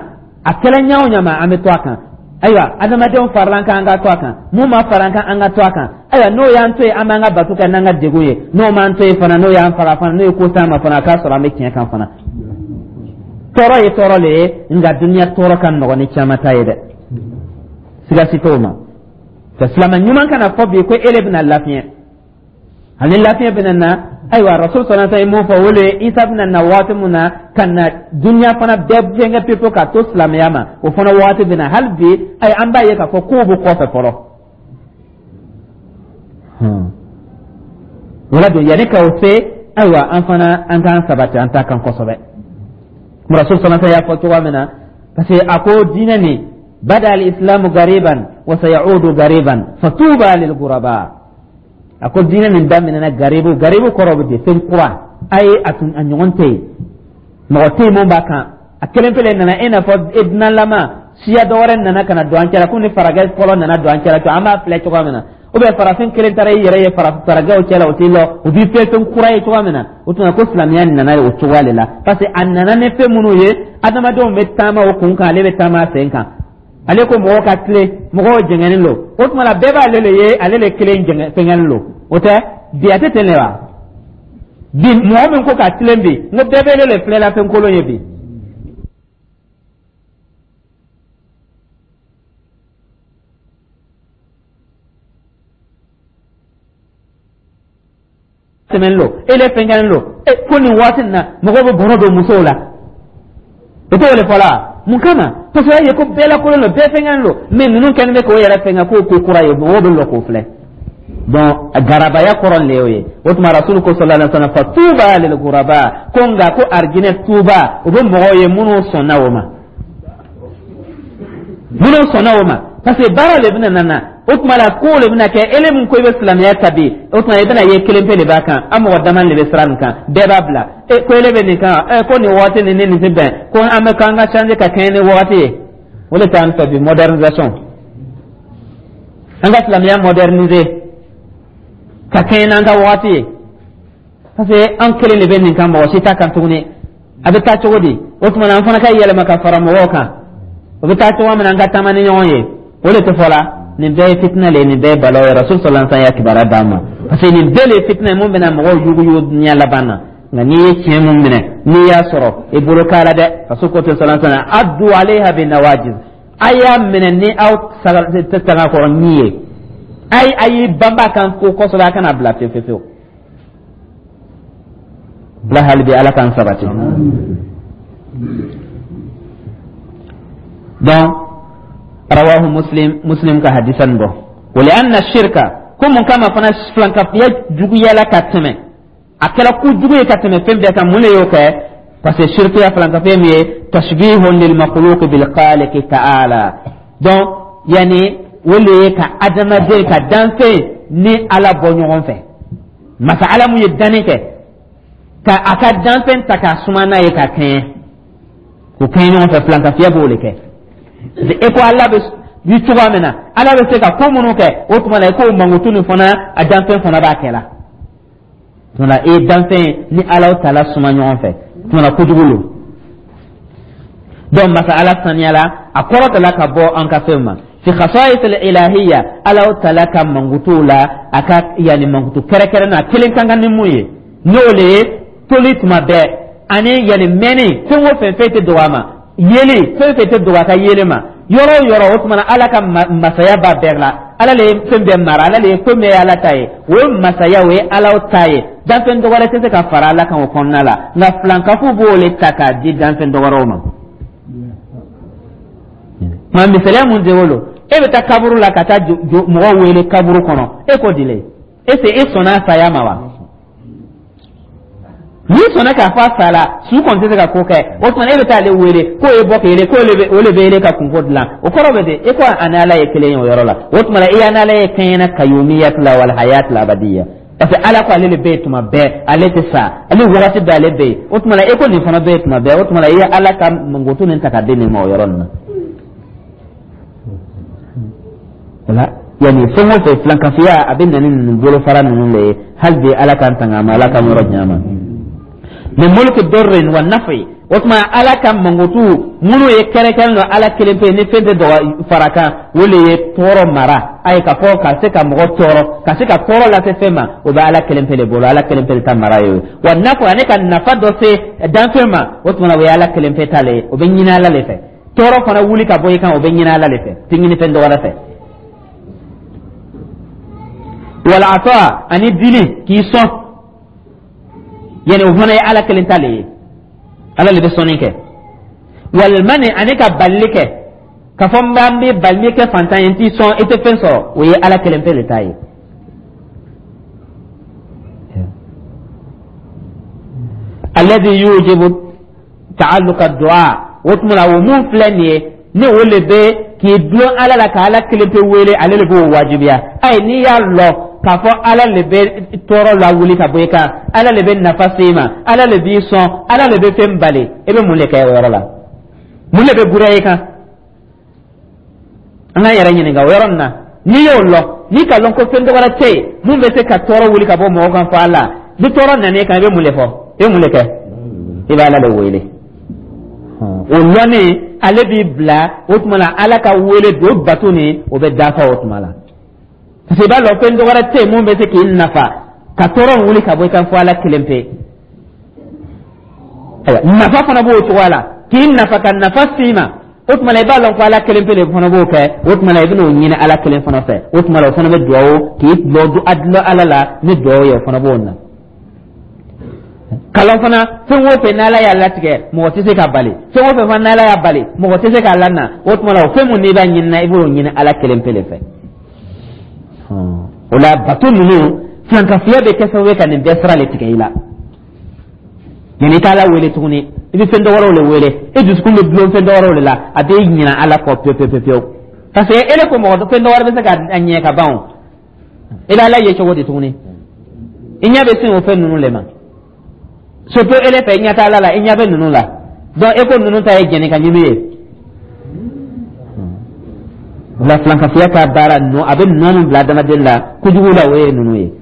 A kɛra ɲa o ɲa ma, an bɛ to a kan. Ayiwa, adamadenw farala an kan, an ka to a kan. Mun ma fara an kan, an ka to a kan. Ayiwa, n'o y'an to yen, an b'an ka bato kɛ n'an ka degun ye. N'o m'an to yen fana, n'o y'an faga fana, n'o ye ko s'an ma fana, a k'a sɔrɔ an bɛ tiɲɛ kan fana. Tɔɔrɔ ye tɔɔrɔ le ye, nka duniya tɔɔrɔ ka nɔgɔn ni caman ta ye dɛ, siga si t'o ma. Ka silamɛ ɲuman kana fɔ bi ko e le bɛna lafiɲɛ, ani lafiɲɛ bɛna na. Ayiwa, Rasul sallallahu alaihi wasallam ye mun fɔ? O le ye Isa bɛna na waati mun na ka na duniya fana bɛɛ fɛnkɛ pepe ka to silamɛya ma, o fana waati bɛna. Hali bi ayi, an b'a ye k'a fɔ kow bɛ kɔfɛ fɔlɔ. Wala don yanni ka o se, ayiwa, an fana an k'an sabati an ta kan kosɛbɛ. Rasul sallallahu alaihi y'a fɔ cogoya min na, parce que a ko diinɛ nin bada al-islamu gariban wa sayaudu gariban fatuba lil ghuraba. A ko diinɛ nin daminɛna garibu. Garibu kɔrɔ bɛ di? Fɛn kura a ye, a tun a ɲɔgɔn tɛ yen, mɔgɔ tɛ yen mun b'a kan, a kelen pele nana. E n'a fɔ e dunanlama siya dɔ wɛrɛ nana ka na don an cɛla, ko ni faragɛ fɔlɔ nana don an cɛla, to an b'a filɛ cogoya min na, ou bien farafin kelen taara i yɛrɛ ye faragɛw cɛla, o t'i lɔ, o b'i fɛ fɛn kura ye cogoya min na. O tuma ko silamɛya nana o cogoya de la, parce que a nana ni fɛn minnu ye, adamadenw bɛ taama o kun kan, ale bɛ taama a sen kan. Ale ko mɔgɔw ka tilen, mɔgɔw jɛngɛnen don. O tuma la bɛɛ b'ale le ye, ale le kelen jɛngɛ fɛngɛnen don. O tɛ bi, a tɛ ten de wa? Bi mɔgɔ min ko ka tilen bi, n ko bɛɛ bɛ ne le filɛ la fɛn kolon ye bi. Tɛmɛnen don, e le fɛnkɛnen don. E ko nin waati nin na, mɔgɔw bɛ bɔrɔ don musow la, o t'o le fɔla mun kama? Parce que a ye ko bɛɛ lakolon don, bɛɛ fɛnkɛnen don, mais ninnu kɛlen bɛ k'o yɛrɛ fɛnkɛ k'o ko kura ye, mɔgɔw bɛ lɔ k'o filɛ. Donc garabaya kɔrɔ le y'o ye. O tuma rasulu ko sallallahu alaihi wasallam fa tuba lil ghuraba, ko nka ko arijinɛ tuba o bɛ mɔgɔw ye minnu sɔnna o ma, minnu sɔnna o ma, parce que baara le bɛna nana. O tuma la ko le bɛna kɛ ele min ko i bɛ silamɛya ta bi, o tuma i bɛna ye kelen pe de b'a kan, an mɔgɔ dama de bɛ sira nin kan, bɛɛ b'a bila. E ko ele bɛ nin kan, ɛ ko nin waati nin ni nin tɛ bɛn, ko an bɛ k'an ka changer ka kɛɲɛ ni waati ye. O de t'an fɛ bi, modernisation, an ka silamɛya moderniser ka kɛɲɛ n'an ka waati ye, parce que an kelen de bɛ nin kan, mɔgɔ si t'a kan tuguni. A bɛ taa cogo di? O tuma na an fana ka yɛlɛma ka fara mɔgɔw kan, o bɛ taa cogo min na, an ka taama ni ɲɔgɔn ye, o de tɛ fɔ la. Nin bɛɛ ye fitinɛ le ye, nin bɛɛ ye balaw ye. Rasul sallallahu alaihi wasallam y'a kibaruya d'an ma, parce que nin bɛɛ le ye fitinɛ ye mun bɛna mɔgɔw yuguyugu diɲɛ laban na. Nka n'i ye tiɲɛ mun minɛ, n'i y'a sɔrɔ i bolo k'a la dɛ. Rasul ko ten sallallahu alaihi wasallam addu alayha bin nawajiz, a y'a minɛ ni aw tagakɔrɔ ɲi ye, a y'i banba kan ko kosɛbɛ, a kana bila fewu fewu fewu bila. Hali bi ala k'an sabati. Donc rawahu Muslim, Muslim ka hadisa nin bɔ. Wa li anna shirka, ko mun kama fana filankafiya juguyala ka tɛmɛ, a kɛra kojugu ye ka tɛmɛ fɛn bɛɛ kan? Mun de y'o kɛ? Parce que shirkiya, filankafiya min ye tashbihun lil makhluq bil khaliq ta'ala. Donc yani o le ye ka adamaden ka danfɛn ni Ala bɔ ɲɔgɔn fɛ. Masa Ala mun ye danni kɛ, ka a ka danfɛn ta k'a suma n'a ye ka kɛɲɛ, k'o kɛɲɛ ɲɔgɔn fɛ, filankafiya b'o de kɛ. E ko Ala bɛ bi cogoya min na, Ala bɛ se ka ko minnu kɛ, o tuma na i k'o mankutu nin fana, a danfɛn fana b'a kɛ la. Tuma na i ye danfɛn ni Ala taala suma ɲɔgɔn fɛ, tuma na kojugu lo. Donc masa Ala saniyala, a kɔrɔtala ka bɔ an ka fɛnw ma fi khasa'is al-ilahiyya, Ala taala ka mankutuw la, a ka yani mankutu kɛrɛnkɛrɛn a kelen kan ka ni mun ye, n'o le ye toli tuma bɛɛ ani yani mɛnni, fɛn o fɛn, fɛn tɛ dogo a ma, yeli, fɛn fɛn tɛ dogo a ka yeli ma yɔrɔ o yɔrɔ. O tuma na Ala ka masaya b'a bɛɛ la, Ala le ye fɛn bɛɛ mara, Ala le ye ko bɛɛ ye Ala ta ye, o ye masaya, o ye Ala ta ye, danfɛn dɔ wɛrɛ tɛ se ka fara Ala kan o kɔnɔna la. Nka filankafow b'o le ta k'a di danfɛn dɔ wɛrɛw ma. Nka misaliya mun de wolo, e bɛ taa kaburu la ka taa mɔgɔw wele kaburu kɔnɔ, e ko dile e se e sɔnna saya ma wa? N'i sɔnna k'a fɔ a sala, su kɔni tɛ se ka ko kɛ. O tuma e bɛ taa ale wele k'o ye bɔ k'ele k'o le bɛ ele ka kunko dilan, o kɔrɔ bɛ di? E ko a ni Ala ye kelen ye o yɔrɔ la. O tuma i y'a n'Ala ye kɛɲɛna kayumiyati la wal hayati la abadiya, parce que Ala ko ale de bɛ yen tuma bɛɛ, ale tɛ sa, ale wagati bɛɛ ale bɛ yen. O tuma e ko nin fana bɛ yen tuma bɛɛ, o tuma i ye Ala ka mankutu nin ta ka di nin ma o yɔrɔ nin na. Wala yani fɛn o fɛn filankafiya a bɛ na ni ninnu bolofara ninnu de ye. Hali bi Ala k'an tanga a ma, Ala k'an yɔrɔ janya a ma. Min mulki durrin wa nafi, o tuma Ala ka mankutu minnu ye kɛrɛnkɛrɛn don Ala kelen pe ni fɛn tɛ dɔgɔ fara kan, o le ye tɔɔrɔ mara a ye, ka fɔ ka se ka mɔgɔ tɔɔrɔ, ka se ka tɔɔrɔ lase fɛn ma, o bɛ Ala kelen pe de bolo, Ala kelen pe de ta mara ye o ye. Wa nafa ani ka nafa dɔ se danfɛn ma, o tuma o ye Ala kelen pe ta le ye, o bɛ ɲini Ala le fɛ. Tɔɔrɔ fana wuli ka bɔ i kan, o bɛ ɲini Ala le fɛ, tɛ ɲini fɛn dɔ wɛrɛ fɛ. Wal ata ani dili k'i sɔn, yani o fana ye Ala kelen ta le ye, Ala le bɛ sɔnni kɛ. Wal mani ani ka balili kɛ, k'a fɔ n b'an bɛ bali kɛ fantan ye, n t'i sɔn, i tɛ fɛn sɔrɔ, o ye Ala kelen pe le ta ye. Alladhi yujibu ta'alluqa du'a, o tuma la, o mun filɛ nin ye, ni o le bɛ k'i dulon Ala la ka Ala kelen pe wele, ale le b'o wajibiya. Ayi, n'i y'a lɔn k'a fɔ Ala le bɛ tɔɔrɔ lawuli ka bɔ i kan, Ala le bɛ nafa se i ma, Ala le b'i sɔn, Ala le bɛ fɛn bali, i bɛ mun de kɛ o yɔrɔ la? Mun de bɛ guriya i kan? An k'an yɛrɛ ɲininka o yɔrɔ nin na. N'i y'o lɔn, n'i ka lɔn ko fɛn dɔ wɛrɛ tɛ yen mun bɛ se ka tɔɔrɔ wuli ka bɔ mɔgɔ kan fɔ Ala, ni tɔɔrɔ nana e kan, i bɛ mun de fɔ? I bɛ mun de kɛ? I bɛ Ala de wele. O lɔnni, ale b'i bila o tuma la Ala ka wele don bato nin, o bɛ dafa o tuma la, parce que i b'a lɔn fɛn dɔ wɛrɛ tɛ yen mun bɛ se k'i nafa ka tɔɔrɔ wuli ka bɔ i kan fɔ Ala kelen pe. Ayiwa, nafa fana b'o cogoya la, k'i nafa ka nafa s'i ma. O tuma la, i b'a lɔn ko Ala kelen pe de fana b'o kɛ. O tuma la, i bɛn'o ɲini Ala kelen fana fɛ. O tuma la, o fana bɛ duwawu k'i dulon Ala la ni duwawu ye, o fana b'o na kalan fana. Fɛn o fɛn n'Ala y'a latigɛ, mɔgɔ tɛ se ka bali. Fɛn o fɛn fana n'Ala y'a bali, mɔgɔ tɛ se k'a lana. O tuma la, o fɛn mun n'i b'a ɲini na, i b'o ɲini Ala kelen pe de fɛ. O la, bato ninnu filankafoya bɛ kɛ sababu ye ka nin bɛɛ sira le tigɛ i la. Yanni i t'Ala wele tuguni, i bɛ fɛn dɔ wɛrɛw le wele. I dusukun bɛ dulon fɛn dɔ wɛrɛw de la, a bɛ ɲinɛ Ala kɔ pewu pewu pewu, parce que ele ko mɔgɔ fɛn dɔ wɛrɛ bɛ se ka ɲɛ ka ban. O i bɛ Ala ye cogo di tuguni? I ɲɛ bɛ sin o fɛn ninnu le ma. Surtout ele fɛ, i ɲɛ tɛ Ala la, i ɲɛ bɛ ninnu la. Donc e ko ninnu ta ye jɛnni ka ɲimi ye. O la, filankafoya ka baara nɔ, a bɛ nɔ min bila adamaden la kojugu la, o ye ninnu ye.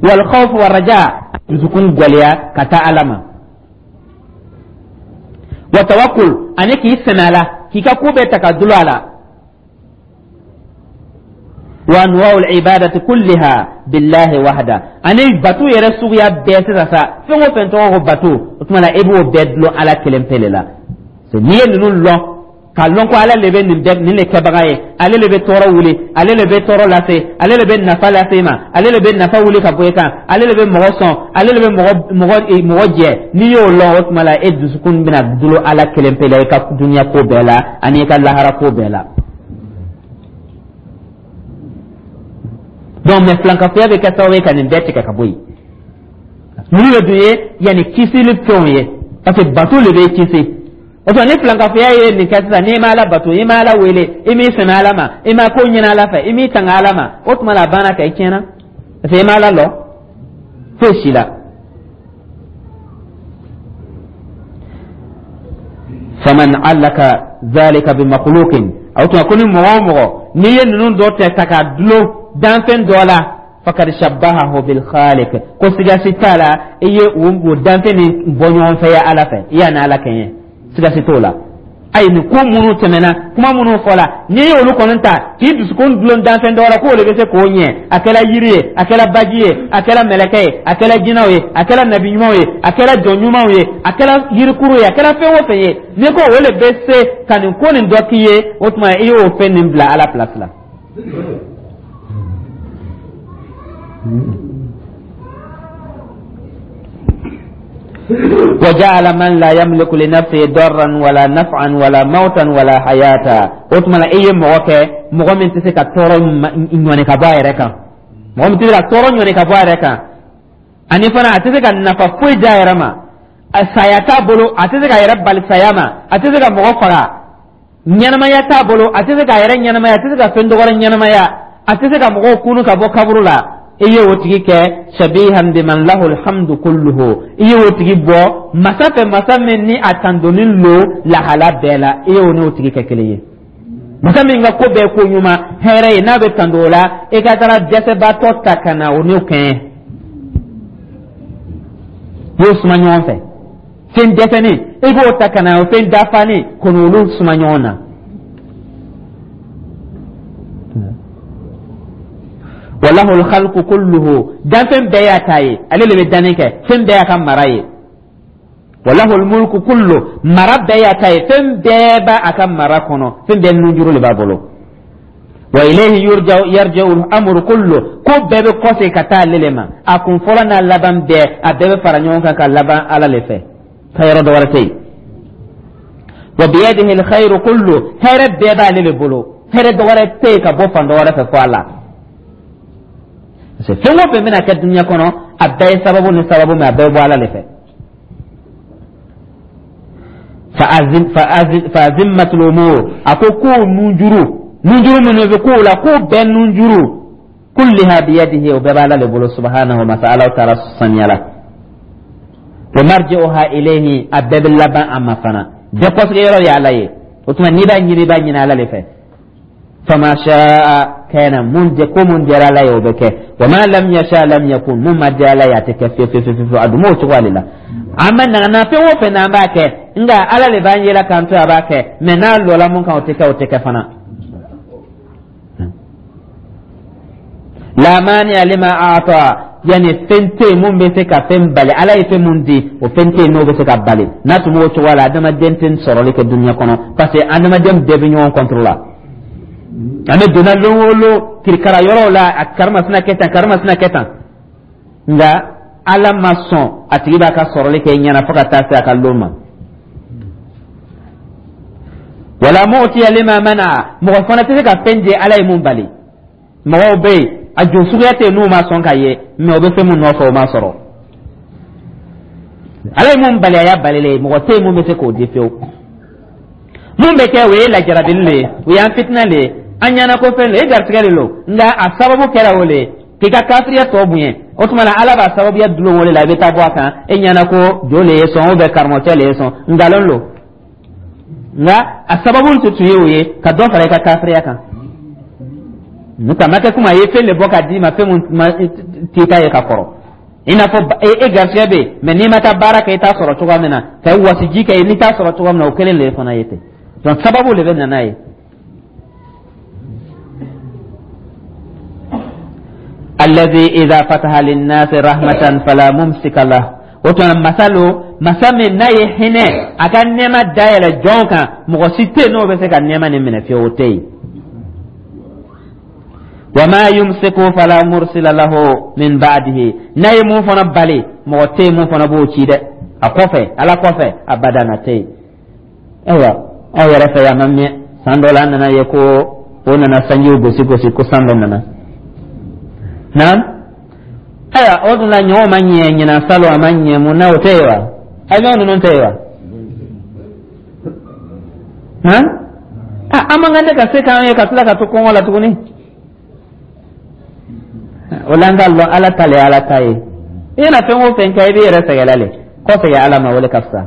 Wal khawf wa raja, dusukun gwɛlɛya ka taa Ala ma, wa tawakkul, ani k'i sɛmɛ a la, k'i ka ko bɛɛ ta ka dulon a la, wa anwa'ul ibadati kulliha billahi wahda, ani bato yɛrɛ suguya bɛɛ sisan sa, fɛn o fɛn tɔgɔ ko bato, o tuma la, e b'o bɛɛ dulon Ala kelen pe de la. N'i ye ninnu lɔn, k'a lɔn ko Ala le bɛ nin bɛɛ nin le kɛbaga ye, ale le bɛ tɔɔrɔ wuli, ale le bɛ tɔɔrɔ lase, ale le bɛ nafa lase i ma, ale le bɛ nafa wuli ka bɔ i kan, ale le bɛ mɔgɔ sɔn, ale le bɛ mɔgɔ jɛ, n'i y'o lɔn, o tuma la, e dusukun bɛna dulon Ala kelen pe la i ka dunuya ko bɛɛ la ani i ka lahara ko bɛɛ la. Donc mais filankafoya bɛ kɛ sababu ye ka nin bɛɛ tigɛ ka bɔ yen. Ninnu de dun ye yanni kisili fɛnw ye, parce que bato le bɛ kisi. O tuma, ni filankafoya ye nin kɛ sisan, n'i ma Ala bato, i ma Ala wele, i m'i sɛmɛ Ala ma, i ma ko ɲini Ala fɛ, i m'i tanga Ala ma, o tuma la, a banna ka i tiɲɛna, parce que i ma Ala lɔ foyi si la. Faman allaka zalika bi makhluqin, o tuma ko ni mɔgɔ o mɔgɔ n'i ye ninnu dɔ tɛ ta ka dulon danfɛn dɔ la, fakad shabbahahu bil khaliq, ko siga si t'a la, i ye o danfɛn nin bɔ ɲɔgɔn fɛ ya Ala fɛ, i y'a n'Ala kɛɲɛ, siga si t'o la. Ayi, nin ko minnu tɛmɛna, kuma minnu fɔla, n'i ye olu kɔni ta k'i dusukun dulon danfɛn dɔ la k'o de bɛ se k'o ɲɛ, a kɛra yiri ye, a kɛra baji ye, a kɛra mɛlɛkɛ ye, a kɛra jinɛw ye, a kɛra nabi ɲumanw ye, a kɛra jɔn ɲumanw ye, a kɛra yirikuru ye, a kɛra fɛn o fɛn ye, n'i ko o de bɛ se ka nin ko nin dɔ k'i ye, o tuma i y'o fɛn nin bila Ala place la. وجعل من لا يملك لنفسه ضرا ولا نفعا ولا موتا ولا حياة, o tuma la, e ye mɔgɔ kɛ mɔgɔ min tɛ se ka tɔɔrɔ ɲɔni ka bɔ a yɛrɛ kan, mɔgɔ min tɛ se ka tɔɔrɔ ɲɔni ka bɔ a yɛrɛ kan, ani fana a tɛ se ka nafa foyi di a yɛrɛ ma, saya t'a bolo, a tɛ se k'a yɛrɛ bali saya ma, a tɛ se ka mɔgɔ faga, ɲɛnamaya t'a bolo, a tɛ se k'a yɛrɛ ɲɛnamaya, a tɛ se ka fɛn dɔ wɛrɛ ɲɛnamaya, a tɛ se ka mɔgɔw kunu ka bɔ kaburu la, i ye o tigi kɛ shabihan biman lahu alhamdu kulluhu, i ye o tigi bɔ masa fɛ, masa min ni a tandonin lo lahala bɛɛ la, i ye o n'o tigi kɛ kelen ye. Masa min ka ko bɛɛ ko ɲuman hɛrɛ ye, n'a bɛ tando o la, i ka taara dɛsɛbaatɔ ta ka na o n'o kɛɲɛ, i y'o suma ɲɔgɔn fɛ. Fɛn dɛsɛnen, i b'o ta ka na o fɛn dafanen ko n'olu suma ɲɔgɔn na. Walahu alkhalqu kulluhu, danfɛn bɛɛ y'a ta ye, ale de bɛ danni kɛ, fɛn bɛɛ y'a ka mara ye. Walahu almulku kullu, mara bɛɛ y'a ta ye, fɛn bɛɛ b'a ka mara kɔnɔ, fɛn bɛɛ nunjuru de b'a bolo. Wa ilayhi yurja'u yarji'u al-amru kullu, ko bɛɛ bɛ kɔsegin ka taa ale le ma, a kun fɔlɔ n'a laban bɛɛ, a bɛɛ bɛ fara ɲɔgɔn kan ka laban Ala le fɛ, ka yɔrɔ dɔ wɛrɛ tɛ yen. Wa biyadihi alkhayru kullu, hɛrɛ bɛɛ b'ale le bolo, hɛrɛ dɔ wɛrɛ tɛ yen ka bɔ fan dɔ wɛrɛ fɛ fo Ala. Parce que fɛn o fɛn bɛna kɛ dunuya kɔnɔ, a bɛɛ ye sababu ni sababu, mais a bɛɛ bɛ bɔ Ala le fɛ. Fa azimmatul umur, a ko kow nunjuru, nunjuru minnu bɛ kow la, kow bɛɛ nunjuru, kulliha biyadihi, o bɛɛ b'Ala le bolo, subhanahu, masa Ala taala saniya la. Wa marji'uha ilayhi, a bɛɛ bɛ laban a ma fana, bɛɛ kɔsigi yɔrɔ ye Ala ye. O tuma n'i b'a ɲini, i b'a ɲini Ala le fɛ. Fama sha'a kana, mun de ko mun diyara Ala ye, o bɛ kɛ. Wa ma lam yasha lam yakun, mun ma diya Ala ye, a tɛ kɛ fiyewu fiyewu fiyewu. A dun m'o cogo ale la. An ma nana fɛn o fɛn n'an b'a kɛ, nka Ala le b'an yela k'an to a b'a kɛ, mɛ n'a lɔla mun kan, o tɛ kɛ, o tɛ kɛ fana. La mani'a lima a'ta, yani fɛn tɛ yen mun bɛ se ka fɛn bali. Ala ye fɛn mun di, o fɛn tɛ yen n'o bɛ se ka bali. N'a tun b'o cogoya la, adamaden tɛ sɔrɔli kɛ dunuya kɔnɔ, parce que adamaden bɛɛ bɛ ɲɔgɔn contre la. An bɛ donna lon o lon kirikara yɔrɔw la, a karimasina kɛ tan, karimasina kɛ tan, nka Ala ma sɔn a tigi b'a ka sɔrɔli kɛ ɲɛna fo ka taa se a ka lon ma. Wala mu'tiya lima mana, mɔgɔ fana tɛ se ka fɛn di Ala ye mun bali. Mɔgɔw bɛ yen, a jo suguya tɛ yen n'u ma sɔn ka ye, mɛ o bɛ fɛn mun nɔfɛ, o ma sɔrɔ. Ala ye mun bali, a y'a balilen ye, mɔgɔ tɛ yen mun bɛ se k'o di fiyewu. Mun bɛ kɛ, o ye lajarabili le ye, o y'an fitinɛ le ye, an ɲɛna ko fɛn le ye, garisɛgɛ de lo, nka a sababu kɛra o le ye k'i ka kafiriya tɔ bonya. O tuma na Ala b'a sababuya dulon o de la, i bɛ taa bɔ a kan, e ɲɛna ko jo le ye sɔn ou bien karamɔgɔcɛ le ye sɔn, nkalon lo, nka a sababu tun ye o ye ka dɔ fara i ka kafiriya kan. N'o tɛ a ma kɛ komi a ye fɛn de bɔ ka d'i ma, fɛn mun t'i ta ye ka kɔrɔ. I n'a fɔ e garisɛgɛ bɛ yen, mɛ n'i ma taa baara kɛ, i t'a sɔrɔ cogoya min na, ka wasiji kɛ, n'i t'a sɔrɔ cogoya min na, o kelen de fana ye ten. Donc sababu de bɛ na n'a ye. Alladhi idha fataha linnasi rahmatan fala mumsika lah, o tuma masa lo, masa min n'a ye hinɛ, a ka nɛɛma dayɛlɛ jɔnw kan, mɔgɔ si tɛ yen n'o bɛ se ka nɛɛma nin minɛ fiyewu, o tɛ yen. Wa ma yumsiku fala mursila lahu min ba'dihi, n'a ye mun fana bali, mɔgɔ tɛ yen mun fana b'o ci dɛ a kɔfɛ, Ala kɔfɛ, abadan, a tɛ yen. Ayiwa, aw yɛrɛ fɛ yan, ma mɛn san dɔ la, an nana ye ko o nana sanjiw gosi gosi, ko san dɔ nana naam. Ayiwa, o dun la ɲɔgɔn ma ɲɛ ɲinan, salon a ma ɲɛ, mun na o tɛ yen wa? Avion ninnu tɛ yen wa? Han, an man kan tɛ ka se k'an ye ka tila ka to kɔngɔ la tuguni. O la an k'a lɔn Ala ta le ye Ala ta ye. I mana fɛn o fɛn kɛ, i b'i yɛrɛ sɛgɛn la le, kɔsegin Ala ma, o le ka fisa.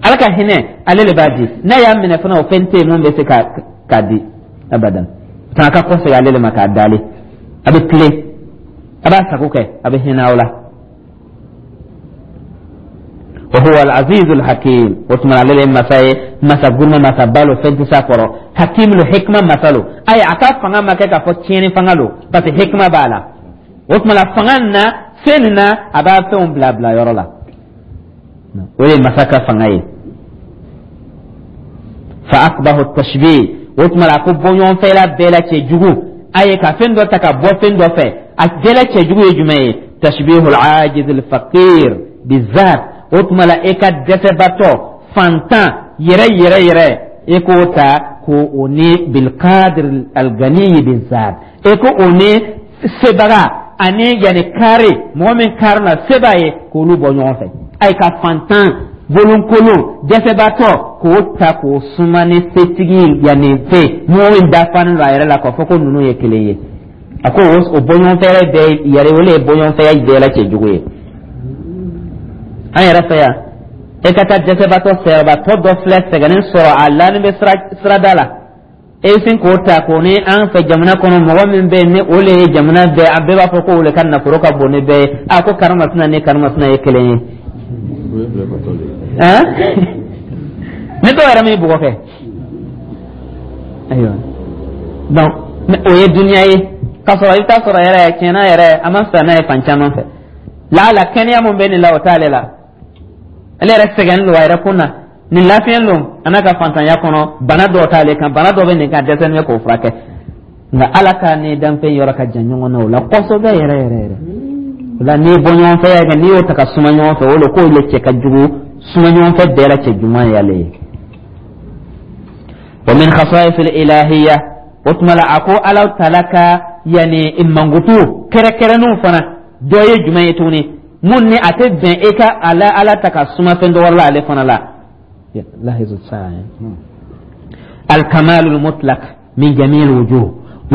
Ala ka hinɛ, ale le b'a di, n'a y'a minɛ fana, o fɛn tɛ yen mun bɛ se ka k'a di abadan. A ka kɔsegin ale le ma k'a dali, a bɛ tilen, a b'a sago kɛ, a bɛ hinɛ aw la. Wa huwa al-aziz al-hakim, o tuma ale le masa ye, masa guruma, masa ba lo, fɛn tɛ s'a kɔrɔ. Hakim lo, hikma masa lo. Ayi, a ka fanga ma kɛ k'a fɔ tiɲɛni fanga lo, parce que hikma b'a la. O tuma la fanga nin na, fɛn nin na, a b'a fɛnw bila bila yɔrɔ la, o ye masa ka fanga ye. Fa aqbahu tashbih, o tuma la a ko bɔɲɔgɔnfɛla bɛɛ la cɛjugu, a ye ka fɛn dɔ ta ka bɔ fɛn dɔ fɛ, a bɛɛ la cɛjugu ye jumɛn ye? Tashbihul ajiz al faqir bizat, o tuma la e ka dɛsɛbatɔ fantan yɛrɛ yɛrɛ yɛrɛ, e k'o ta ko o ni bilqadir alganiyi bizat, e ko o ni sebaga ani yanni kari mɔgɔ min kari la se b'a ye, k'olu bɔ ɲɔgɔn fɛ. Ayi, ka fantan bolonkolon dɛsɛbatɔ k'o ta k'o suma ni setigi, yanni fɛ mɔgɔ min dafanen don a yɛrɛ la, k'a fɔ ko ninnu ye kelen ye, a ko o bɔɲɔgɔnfɛya bɛɛ yɛrɛ, o le ye bɔɲɔgɔnfɛya bɛɛ la cɛjugu ye. An yɛrɛ fɛ yan, e ka taa dɛsɛbatɔ sɛgɛnbatɔ dɔ filɛ sɛgɛnnen sɔrɔ, a lanin bɛ sirada la, e bɛ sin k'o ta k'o ni an fɛ jamana kɔnɔ mɔgɔ min bɛ yen ni o le ye jamana bɛɛ, a bɛɛ b'a fɔ ko o le ka nafolo ka bon ni bɛɛ ye, a ko karimasina ni karimasina ye kelen ye. Ni dɔw yɛrɛ m'i bugɔ kɛ, ayiwa, donc o ye duniya ye. K'a sɔrɔ i bɛ taa sɔrɔ yɛrɛ tiɲɛna yɛrɛ, a ma fisa n'a ye fan caman fɛ. Laala kɛnɛya mun bɛ nin la, o t'ale la. Ale yɛrɛ sɛgɛnnen don a yɛrɛ kun na, nin lafiyɛn don a n'a ka fantanya kɔnɔ, bana dɔw t'ale kan, bana dɔ bɛ nin kan, dɛsɛ bɛ k'o furakɛ. Nka Ala ka ni danfɛn yɔrɔ ka jan ɲɔgɔn na o la kosɛbɛ yɛrɛ yɛrɛ yɛrɛ. O la n'i ye bɔ ɲɔgɔn fɛ kɛ, n'i y'o ta ka suma ɲɔgɔn fɛ, o le k'o le cɛ ka jugu, suma ɲɔgɔn fɛ bɛɛ la cɛ juguman y'ale ye. Wa min khasa'is al-ilahiyya, o tuma la a ko Ala taala ka yanni mankutu kɛrɛkɛrɛnnenw fana dɔ ye jumɛn ye tuguni? Mun ni a tɛ bɛn e ka ala ala ta ka suma fɛn dɔ wɛrɛ la ale fana la. Lahizu saa alkamalul mutlaq min jami'il wujuh,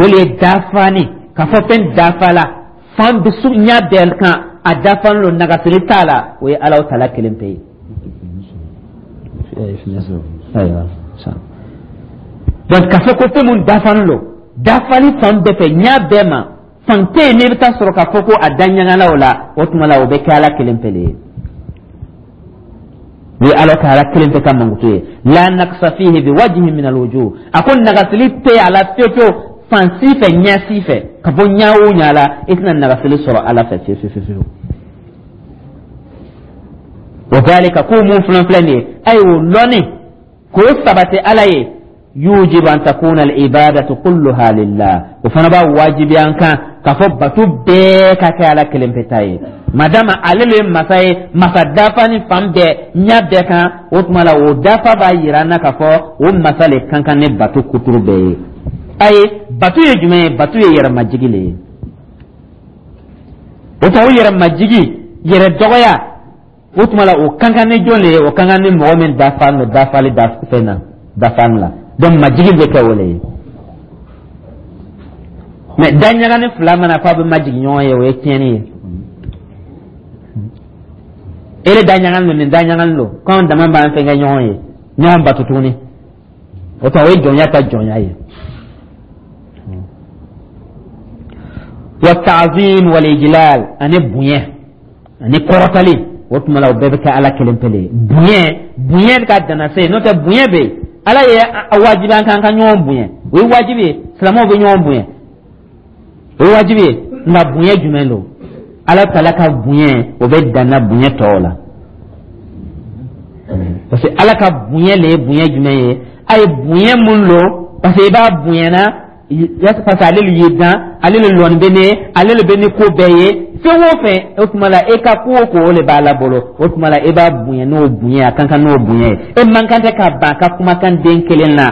o le ye dafani k'a fɔ fɛn dafa la fan bɛ su ɲɛ bɛɛ kan, a dafalen don, nagasili t'a la, o ye Alahu taala kelen pe ye. Ayiwa, donc k'a fɔ ko fɛn mun dafalen don dafali fan bɛɛ fɛ, ɲɛ bɛɛ ma, fan tɛ yen n'i bɛ taa sɔrɔ k'a fɔ ko a da ɲagala o la, o tuma la o bɛ kɛ Ala kelen pe de ye. O ye Ala taala kelen pe ka mankutu ye. La naqsa fihi bi wajhin min alwujuh, a ko nagasili tɛ a la fewu fewu, fan si fɛ, ɲɛ si fɛ, ka bɔ ɲɛ o ɲɛ la, i tɛna nagasili sɔrɔ Ala fɛ fewu fewu fewu. Wa dhalika, ko mun filɛ filɛ nin ye, ayiwa, o lɔnni k'o sabati Ala ye, yujibu an takuna al-ibadatu kulluha lillah, o fana b'a wajibiya an kan k'a fɔ bato bɛɛ ka kɛ Ala kelen pe ta ye. Madama ale le ye masa ye, masa dafa ni fan bɛɛ, ɲɛ bɛɛ kan, o tuma la o dafa b'a yira an na k'a fɔ o masa le kan kan ni bato kuturu bɛɛ ye. Ayi, bato ye jumɛn ye? Bato ye yɛrɛmajigi le ye. O tuma o yɛrɛmajigi, yɛrɛ dɔgɔya, o tuma la o kan kan ni jɔn le ye? O kan kan ni mɔgɔ min dafa no dafali da fɛn na dafali la. Donc majigin bɛ kɛ o le ye. Mais daɲagani fila mana fɔ a bɛ majigin ɲɔgɔn ye, o ye tiɲɛni ye. Ere daɲagani don, nin daɲagani don, k'anw dama b'an fɛn kɛ ɲɔgɔn ye, ɲɔgɔn bato tuguni, o tuma o ye jɔnya ta jɔnya ye. Wa ta'zim wal ijlal, ani bonya ani kɔrɔtali, o tuma la o bɛɛ bɛ kɛ Ala kelen pe le ye. Bonya, bonya ka dana se, n'o tɛ bonya bɛ yen, Ala ye wajibi an kan ka ɲɔgɔn bonya, o ye wajibi ye, silamɛw bɛ ɲɔgɔn bonya, o ye wajibi ye. Nka bonya jumɛn don? Ala taala ka bonya, o bɛ danna bonya tɔw la, parce que Ala ka bonya le ye bonya jumɛn ye? A ye bonya mun lo? Parce que i b'a bonyana parce que ale le y'i dan, ale le lɔnni bɛ ne, ale le bɛ ni ko bɛɛ ye, fɛn o fɛn. O tuma la e ka ko o ko, o le b'a la bolo. O tuma la e b'a bonya n'o bonya, a kan kan n'o bonya ye. E man kan tɛ ka ban a ka kumakan den kelen na.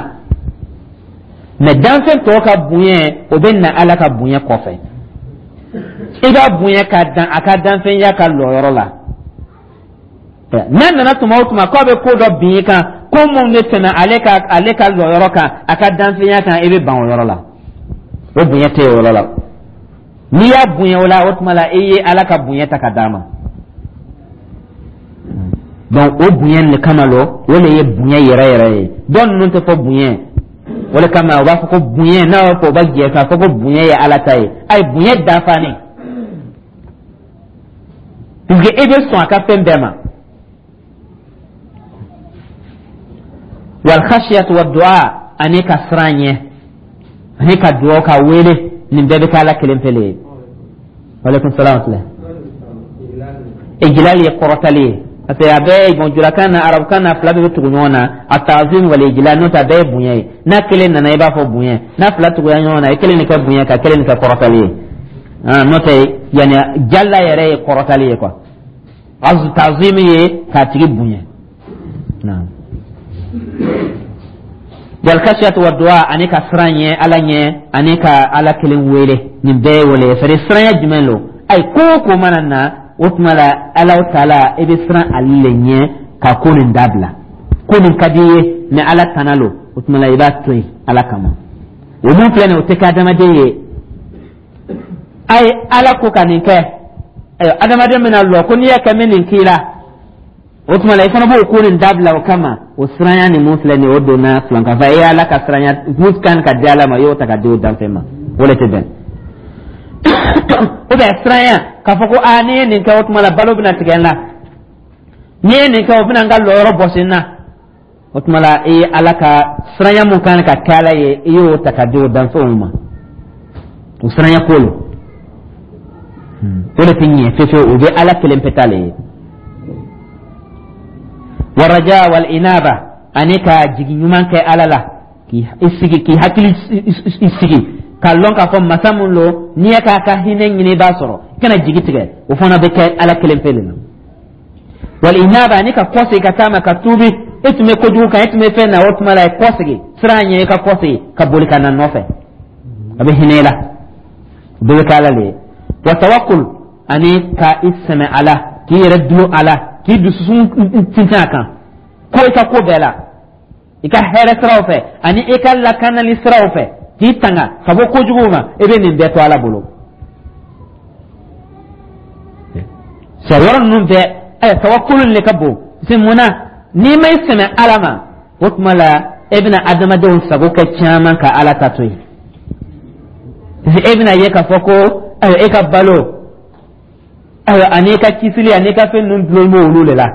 Mais danfɛn tɔw ka bonya, o bɛ na Ala ka bonya kɔfɛ. I b'a bonya ka dan a ka danfɛnya ka lɔyɔrɔ la. N'a nana tuma o tuma k'a bɛ ko dɔ bin i kan, ko mun bɛ tɛmɛ ale ka lɔyɔrɔ kan, a ka danfɛnya kan, i bɛ ban o yɔrɔ la. O bonya tɛ o yɔrɔ la. N'i y'a bonya o la, o tuma la i ye Ala ka bonya ta ka d'a ma. Donc o bonya nin kama lo, o le ye bonya yɛrɛ yɛrɛ ye. Dɔw ninnu tɛ fɔ bonya, o le kama u b'a fɔ ko bonya, n'a b'a fɔ u b'a jɛ k'a fɔ ko bonya ye Ala ta ye. Ayi, bonya dafanen, puisque e bɛ sɔn a ka fɛn bɛɛ ma. Wal khashiyatu wa du'a, ani ka siran ɲɛ, ani ka dugawu, ka wele, nin bɛɛ bɛ kɛ Ala kelen pe le ye. Waaleykum salaam wa rahmatulah. Ijlal ye kɔrɔtali ye, parce que a bɛɛ bon julakan na, arabukan na, fila bɛɛ bɛ tugu ɲɔgɔn na, a ta'zim wal ijlal. N'o tɛ a bɛɛ ye bonya ye. N'a kelen nana, i b'a fɔ bonya. N'a fila tugura ɲɔgɔn na, i kelen nin kɛ bonya, ka kelen nin kɛ kɔrɔtali ye. N'o tɛ yanni jalla yɛrɛ ye kɔrɔtali ye quoi. Ta'zim ye k'a tigi bonya. Naam. Wal khashiyatu wa du'a, ani ka siran ɲɛ Ala ɲɛ, ani ka Ala kelen wele, nin bɛɛ ye wele ye. C'est à dire siranya jumɛn lo? Ayi, ko o ko mana na, o tuma la Ala taala, i bɛ siran ale le ɲɛ ka ko nin dabila. Ko nin ka di i ye, mais Ala tana lo, o tuma la i b'a to yen Ala kama. O mun filɛ nin ye, o tɛ kɛ adamaden ye. Ayi, Ala ko ka nin kɛ. Ayiwa, adamaden bɛna lɔ ko n'i y'a kɛ, n bɛ nin k'i la, o tuma la i fana b'o ko nin dabila o kama. O siranya nin mun filɛ nin ye, o donna filankafa e ye. Ala ka siranya mun kan ka di Ala ma, i y'o ta ka di o danfɛn ma, o de tɛ bɛn. Ou bien siranya k'a fɔ ko aa, n'i ye nin kɛ, o tuma la balo bɛna tigɛ n la, n'i ye nin kɛ, o bɛna n ka lɔyɔrɔ bɔsi n na, o tuma la i ye Ala ka siranya mun kan ka kɛ Ala ye, i y'o ta ka di o danfɛnw ma. O siranya ko lo, o de tɛ ɲɛ fewu, o bɛ Ala kelen pe ta le ye. Waraja wal inaba, ani ka jigi ɲuman kɛ Ala la, k'i sigi, k'i hakili sigi k'a lɔn k'a fɔ masa mun lo, n'i ye k'a ka hinɛ ɲini, i b'a sɔrɔ, i kana jigi tigɛ. O fana bɛ kɛ Ala kelen pe le la. Wal inaba, ani ka kɔsegin ka taa ma, ka tuubi. E tun bɛ kojugu kan, e tun bɛ fɛn na, o tuma la i kɔsegin, siran ɲɛ, i ka kɔsegin ka boli ka na nɔfɛ, a bɛ hinɛ i la. O bɛɛ bɛ kɛ Ala le ye. Wa tawakkul, ani ka i sɛmɛ Ala. k'i yɛrɛ dulon a la, k'i dususun tintin a kan ko i ka ko bɛɛ la, i ka hɛrɛ siraw fɛ ani i ka lakanali siraw fɛ, k'i tanga ka bɔ kojuguw ma, i bɛ nin bɛɛ to Ala bolo. Sɛ yɔrɔ ninnu bɛɛ, ayiwa, tawakulu le ka bon. Se mun na n'i ma i sɛmɛ Ala ma, o tuma la e bɛna adamadenw sago kɛ caman ka Ala ta to yen, parce que e bɛna ye k'a fɔ ko ayiwa, e ka balo, ayiwa, ani i ka kisili ani i ka fɛn ninnu dulon b'olu de la.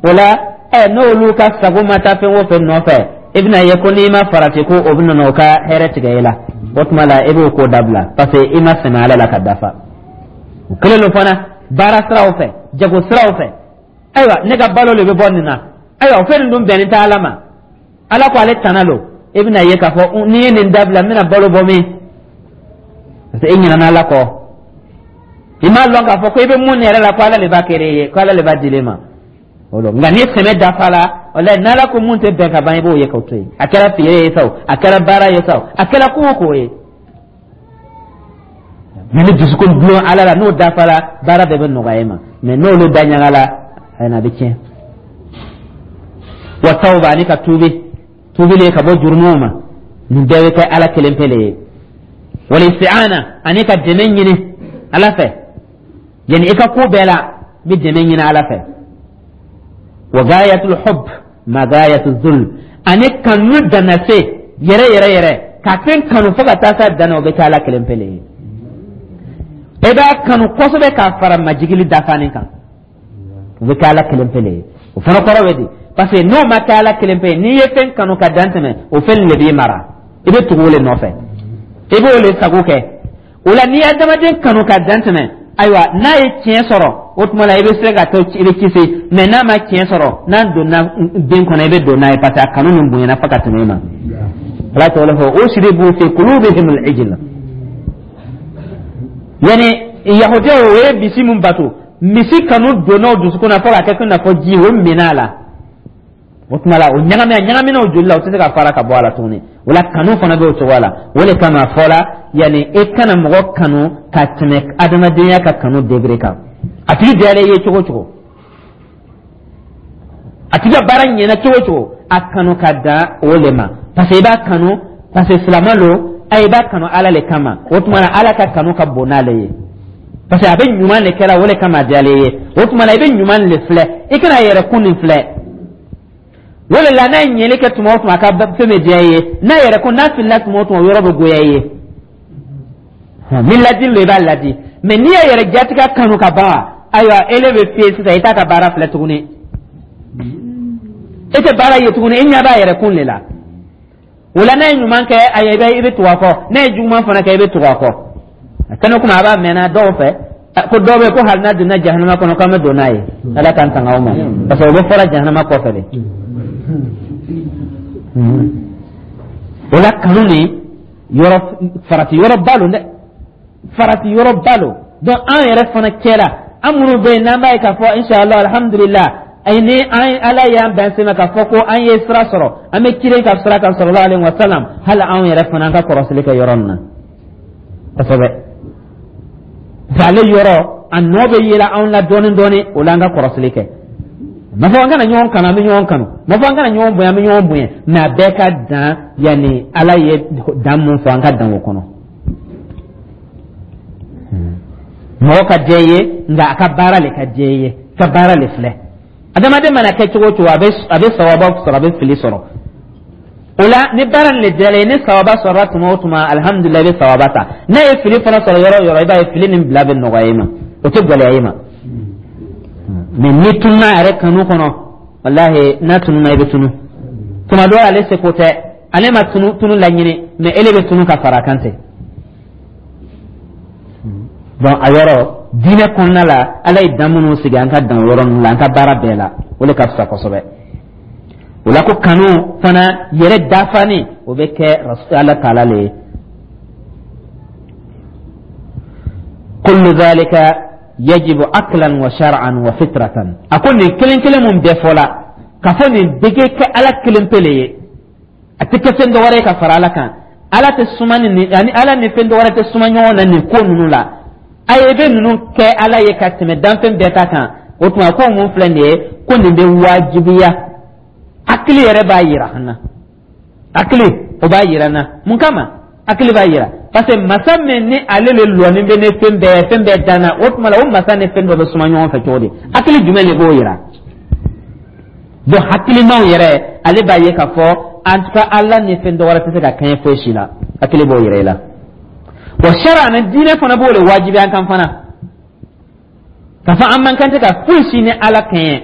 O la n'olu ka sago ma taa fɛn o fɛn nɔfɛ, i bɛna ye ko n'i ma farati ko o bɛna o ka hɛrɛ tigɛ e la. O tuma la e b'o ko dabila, parce que i ma sɛmɛ Ala la ka dafa. O kelen don fana baara siraw fɛ, jago siraw fɛ. Ayiwa, ne ka balo de bɛ bɔ nin na. Ayiwa, o fɛn nin dun bɛnnen tɛ Ala ma, Ala ko ale tana lo. E bɛna ye k'a fɔ n'i ye nin dabila, n bɛna balo bɔ min? Parce que e ɲinɛna Ala kɔ. I m'a lɔn k'a fɔ ko i bɛ mun yɛrɛ la, ko Ala de b'a kɛ e ye, ko Ala de b'a di e ma. O lo, nka ni sɛmɛ dafa la, walayi, n'Ala ko mun tɛ bɛn ka ban, i b'o ye k'o to yen. A kɛra feere ye sa o, a kɛra baara ye sa o, a kɛra ko o ko ye, mais ni dusukun dulon Ala la, n'o dafara, baara bɛɛ bɛ nɔgɔya i ma. Mais n'olu da ɲaga la, ayi, a bɛ tiɲɛ. Wa tawba, ani ka tuubi, tuubili ka bɔ jurumuw ma, nin bɛɛ bɛ kɛ Ala kelen pe le ye. Wal isti'ana, ani ka dɛmɛ ɲini Ala fɛ, yani i ka ko bɛɛ la, i bɛ dɛmɛ ɲini Ala fɛ. Wa gayatul hubb ma gayatul zul, ani kanu danna se yɛrɛ yɛrɛ yɛrɛ, ka fɛn kanu fo ka taa s'a dan na, o bɛ kɛ Ala kelen pe le ye. E b'a kanu kosɛbɛ k'a fara majigili dafanin kan, o bɛ kɛ Ala kelen pe le ye. O fana kɔrɔ bɛ di? Parce que n'o ma kɛ Ala kelen pe ye, n'i ye fɛn kanu ka dan tɛmɛ, o fɛn le b'i mara, i bɛ tugu o le nɔfɛ, i b'o le sago kɛ. O la, n'i ye adamaden kanu ka dan tɛmɛ, ayiwa, n'a ye tiɲɛ sɔrɔ, o tuma la i bɛ se ka to, i bɛ kisi. Mais n'a ma tiɲɛ sɔrɔ, n'a donna den kɔnɔ, i bɛ don n'a ye, parce que a kanu nin bonyana fo ka tɛmɛ e ma. Ala tɔgɔ fɔ ushribu fi qulubihim al-ijla, yani yahudiyaw, o ye misi mun bato, misi kanu donna o dusukun na fo ka kɛ i n'a fɔ ji, o minɛ a la. O tuma la o ɲagami, a ɲagamina o joli la, o tɛ se ka fara ka bɔ a la tuguni. O la, kanu fana bɛ o cogoya la. O de kama a fɔla, yanni e kana mɔgɔ kanu ka tɛmɛ adamadenya ka kanu degré kan. A tigi diyara i ye cogo o cogo, a tigi ka baara ɲɛna cogo o cogo, a kanu ka dan o le ma, parce que i b'a kanu parce que silama lo. A i b'a kanu Ala le kama. O tuma na Ala ka kanu ka bon n'ale ye, parce que a bɛ ɲuman le kɛra, o le kama a diyara i ye. O tuma na i bɛ ɲuman le filɛ, i kana yɛrɛ kun nin filɛ. O de la, n'a ye ɲɛli kɛ tuma o tuma, a ka fɛn bɛ diya i ye. N'a yɛrɛ ko n'a filila tuma o tuma, o yɔrɔ bɛ goya i ye. Ni ladili lo, i b'a ladi. Mais n'i y'a yɛrɛ jatigɛ kanu ka ban, ayiwa, ele bɛ fiyɛ sisan, i t'a ka baara filɛ tuguni, e tɛ baara ye tuguni, e ɲɛ b'a yɛrɛ kun de la. O la, n'a ye ɲuman kɛ, ayiwa, i bɛ tugu a kɔ. N'a ye juguman fana kɛ, i bɛ tugu a kɔ. A kɛnɛ kuma a b'a mɛnna dɔw fɛ ko dɔw bɛ ko hali n'a donna jahanama kɔnɔ, k'an bɛ don n'a ye. Ala k'an tanga o ma, parce que o bɛ fɔra jahanama kɔfɛ de. O la, kanu nin yɔrɔ, farati yɔrɔba lo dɛ, farati yɔrɔba lo. Donc an yɛrɛ fana cɛla, an minnu bɛ yen n'an b'a ye k'a fɔ inshallah, alhamdulillah, ayi, ni an Ala y'an bɛn sema k'a fɔ ko an ye sira sɔrɔ, an bɛ ciden ka sira kan, sallallahu alaihi wa sallam, hali anw yɛrɛ fana, an ka kɔrɔsili kɛ yɔrɔ nin na kosɛbɛ. Ale yɔrɔ a nɔ bɛ yela anw la dɔɔni dɔɔni. O la, an ka kɔrɔsili kɛ. Ma fɔ an kana ɲɔgɔn kanu, an bɛ ɲɔgɔn kanu. Ma fɔ an kana ɲɔgɔn bonya, an bɛ ɲɔgɔn bonya. Mais a bɛɛ ka dan, yanni Ala ye dan mun fɔ, an ka dan o kɔnɔ. Mɔgɔ ka diya i ye, nka a ka baara le ka diya i ye, ka baara le filɛ. Adamaden mana kɛ cogo o cogo, a bɛ sawaba sɔrɔ, a bɛ fili sɔrɔ. O la, ni baara nin le diyara i ye, ni sawaba sɔrɔla tuma o tuma, alihamudulila, i bɛ sawaba ta. N'a ye fili fana sɔrɔ yɔrɔ o yɔrɔ, i b'a ye fili nin bila bɛ nɔgɔya i ma, o tɛ gɛlɛya i ma. Mais n'i tununa a yɛrɛ kanu kɔnɔ, walahi, n'a tununa, i bɛ tunu. Tuma dɔw ale seko tɛ, ale ma tunu tunu laɲini, mais ele bɛ tunu ka fara a kan ten. Donc a yɔrɔ diinɛ kɔnɔna la, Ala ye dan minnu sigi, an ka dan o yɔrɔ ninnu la an ka baara bɛɛ la, o de ka fisa kosɛbɛ. O la, ko kanu fana yɛrɛ dafani, o bɛ kɛ Ala taala le ye. Kullu dhalika yajibu aklan wa shar'an wa fitratan. A ko nin kelen kelen mun bɛɛ fɔla k'a fɔ, nin bɛɛ kɛ kɛ Ala kelen pe le ye, a tɛ kɛ fɛn dɔ wɛrɛ ye ka fara Ala kan. Ala tɛ suma ni ani Ala ni fɛn dɔ wɛrɛ tɛ suma ɲɔgɔn na nin ko ninnu la. A ye bɛ ninnu kɛ Ala ye ka tɛmɛ danfɛn bɛɛ ta kan. O tuma, ko mun filɛ nin ye, ko nin bɛ wajibiya, hakili yɛrɛ b'a yira an na. Hakili, o b'a yira an na. Mun kama hakili b'a yira? Parce que masa min ni ale le lɔnin bɛ ni fɛn bɛɛ, fɛn bɛɛ danna, o tuma la, o masa ni fɛn dɔ bɛ suma ɲɔgɔn fɛ cogo di? Hakili jumɛn de b'o yira? Donc hakilimaw yɛrɛ, ale b'a ye k'a fɔ en tout cas, Ala ni fɛn dɔ wɛrɛ tɛ se ka kɛɲɛ foyi si la. Hakili b'o yira i la. Wa sariya ni diinɛ fana b'o de wajibiya an kan fana, k'a fɔ an man kan tɛ ka foyi si ni Ala kɛɲɛ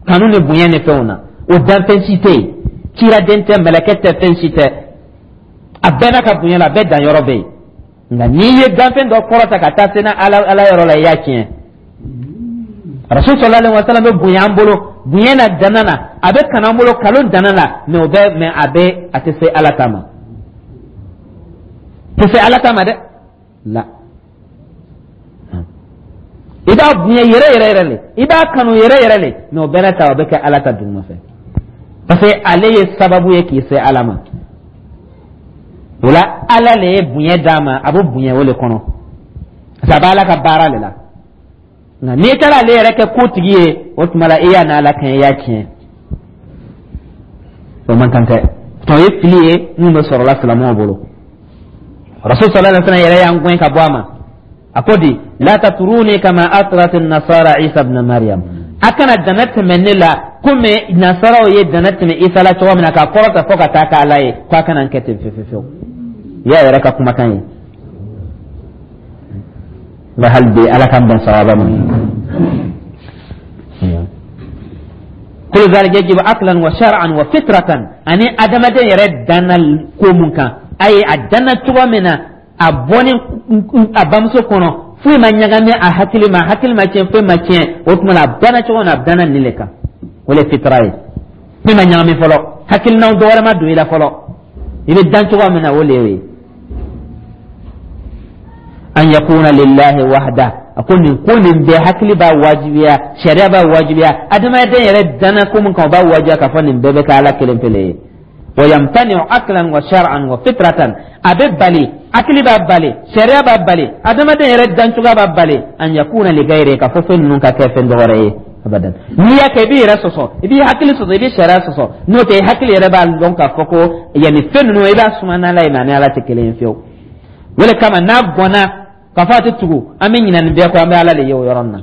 kanu ni bonya ni fɛnw na. O danfɛn si tɛ yen, ciraden tɛ, mɛlɛkɛ tɛ, fɛn si tɛ. A bɛɛ n'a ka bonya la, a bɛɛ danyɔrɔ bɛ yen. Nka n'i ye danfɛn dɔ kɔrɔta ka taa se n'a Ala yɔrɔ la, i y'a tiɲɛ. Rasul sallallahu alaihi wasallam bɛ bonya an bolo bonya na dana na, a bɛ kanu an bolo kanu dana na, mais o bɛ, mais a bɛ, a tɛ se Ala ta ma, tɛ se Ala ta ma dɛ. La, i b'a bonya yɛrɛ yɛrɛ yɛrɛ le, i b'a kanu yɛrɛ yɛrɛ le, mais o bɛɛ n'a ta, o bɛ kɛ Ala ta duguma fɛ, parce que ale ye sababu ye k'i se Ala ma. O la, Ala le ye bonya d'a ma, a bɛ bonya o le kɔnɔ, parce que a bɛ Ala ka baara le la. Nka n'i taara ale yɛrɛ kɛ kotigi ye, o tuma la, i y'a n'Ala kɛɲɛ, i y'a tiɲɛ. O man kan tɛ. O ye fili ye min bɛ sɔrɔla silamɛw bolo. Rasul sallallahu alaihi wasallam yɛrɛ y'an gɛn ka bɔ a ma. A ko di: la tatruni kama atrat an-nasara Isa ibn Maryam. A kana dana tɛmɛ ne la komi nasaraw ye dana tɛmɛ Isa la cogo min na, k'a kɔrɔta fo ka taa kɛ Ala ye, k'a kana n kɛ ten fewu fewu. I y'a yɛrɛ ka kumakan ye. Nka hali bi, Ala k'an bɛn sawaba ma. Kullu zalika yajibu aqlan wa shar'an wa fitratan. Ani adamaden yɛrɛ danna ko mun kan, a ye a danna cogo min na, a bɔni a bamuso kɔnɔ, foyi ma ɲagami a hakili ma, hakili ma tiɲɛ, foyi ma tiɲɛ. O tuma na, a danna cogo min na, a danna nin le kan, o le fitra ye. Foyi ma ɲagami fɔlɔ, hakilinaw dɔ wɛrɛ ma don i la fɔlɔ. I bɛ dan cogo min na, o le y'o ye. An yakuna lillahi wahda. A ko nin ko nin bɛɛ, hakili b'a wajibiya, sariya b'a wajibiya, adamaden yɛrɛ danna ko mun kan, o b'a wajibiya k'a fɔ nin bɛɛ bɛ kɛ Ala kelen pele ye. Wa yamtani'u aqlan wa shar'an wa fitratan. A bɛ bali, hakili b'a bali, sariya b'a bali, adamaden yɛrɛ dancogoya b'a bali, an yakuna li gayri, k'a fɔ fɛn ninnu ka kɛ fɛn dɔ wɛrɛ ye abadan. N'i y'a kɛ, i b'i yɛrɛ sɔsɔ, i b'i hakili sɔsɔ, i b'i sariya sɔsɔ. N'o tɛ, i hakili yɛrɛ b'a dɔn k'a fɔ ko yanni fɛn ninnu, i b'a suma n'Ala ye, mais a ni Ala tɛ kelen ye fiyewu. O de kama, n'a gɔnna k'a fɔ a tɛ tugu, an bɛ ɲinɛ nin bɛɛ kɔ, an bɛ Ala de ye o yɔrɔ nin na.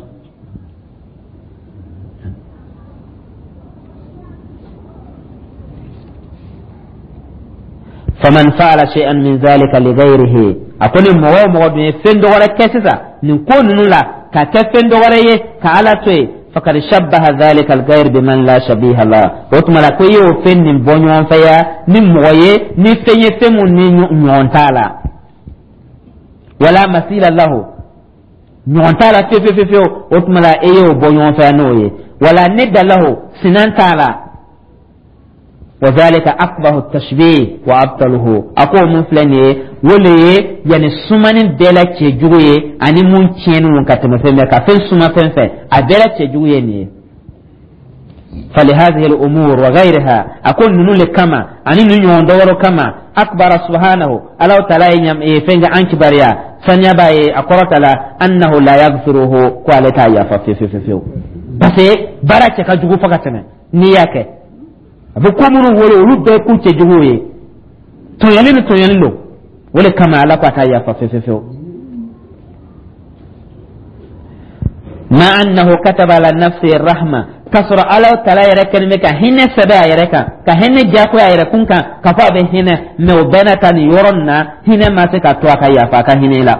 Faman fa'ala shay'an min zalika li ghayrihi. A ko ni mɔgɔ o mɔgɔ dun ye fɛn dɔ wɛrɛ kɛ sisan nin ko ninnu la, ka kɛ fɛn dɔ wɛrɛ ye ka Ala to yen, fakad shabbaha dhalika al-ghayr biman la shabiha la. O tuma la, ko i y'o fɛn nin bɔ ɲɔgɔn fɛ ya ni mɔgɔ ye, ni fɛn ye, fɛn mun ni ɲɔgɔn t'a la, wala masila lahu, ɲɔgɔn t'a la fewu fewu fewu. O tuma la, e y'o bɔ ɲɔgɔn fɛ ya n'o ye, wala nidda lahu, sinan t'a la. Wa zalika aqbahu tashbih wa abtaluhu. A ko mun filɛ nin ye, o le ye yanni sumani bɛɛ la cɛjugu ye, ani mun tiɲɛni ka tɛmɛ fɛn bɛɛ ka fɛn suma fɛn fɛ, a bɛɛ la cɛjugu ye nin ye. Falihadhihi al-umur wa ghayriha. A ko ninnu le kama ani nin ɲɔgɔn dɔ wɛrɛ kama, akbara subhanahu, Ala taala ye fɛn kɛ an kibaruya, saniya b'a ye, a kɔrɔ ta la, annahu la yaghfiruhu, ko ale t'a yafa fewu fewu fewu, parce que baara cɛ ka jugu fo ka tɛmɛ. N'i y'a kɛ, a bɛ ko minnu wolo, olu bɛɛ ko cɛjuguw ye, tɔɲɔli ni tɔɲɔli don. O de kama, Ala ko a t'a yafa fewu fewu. Ma annahu kataba ala nafsi rahma, k'a sɔrɔ Ala taala yɛrɛ kɛlen bɛ ka hinɛ sɛbɛn a yɛrɛ kan, ka hinɛ diyagoya a yɛrɛ kun kan, k'a fɔ a bɛ hinɛ, mais o bɛɛ n'a ta, nin yɔrɔ nin na, hinɛ ma se ka to a ka yafa a ka hinɛ la.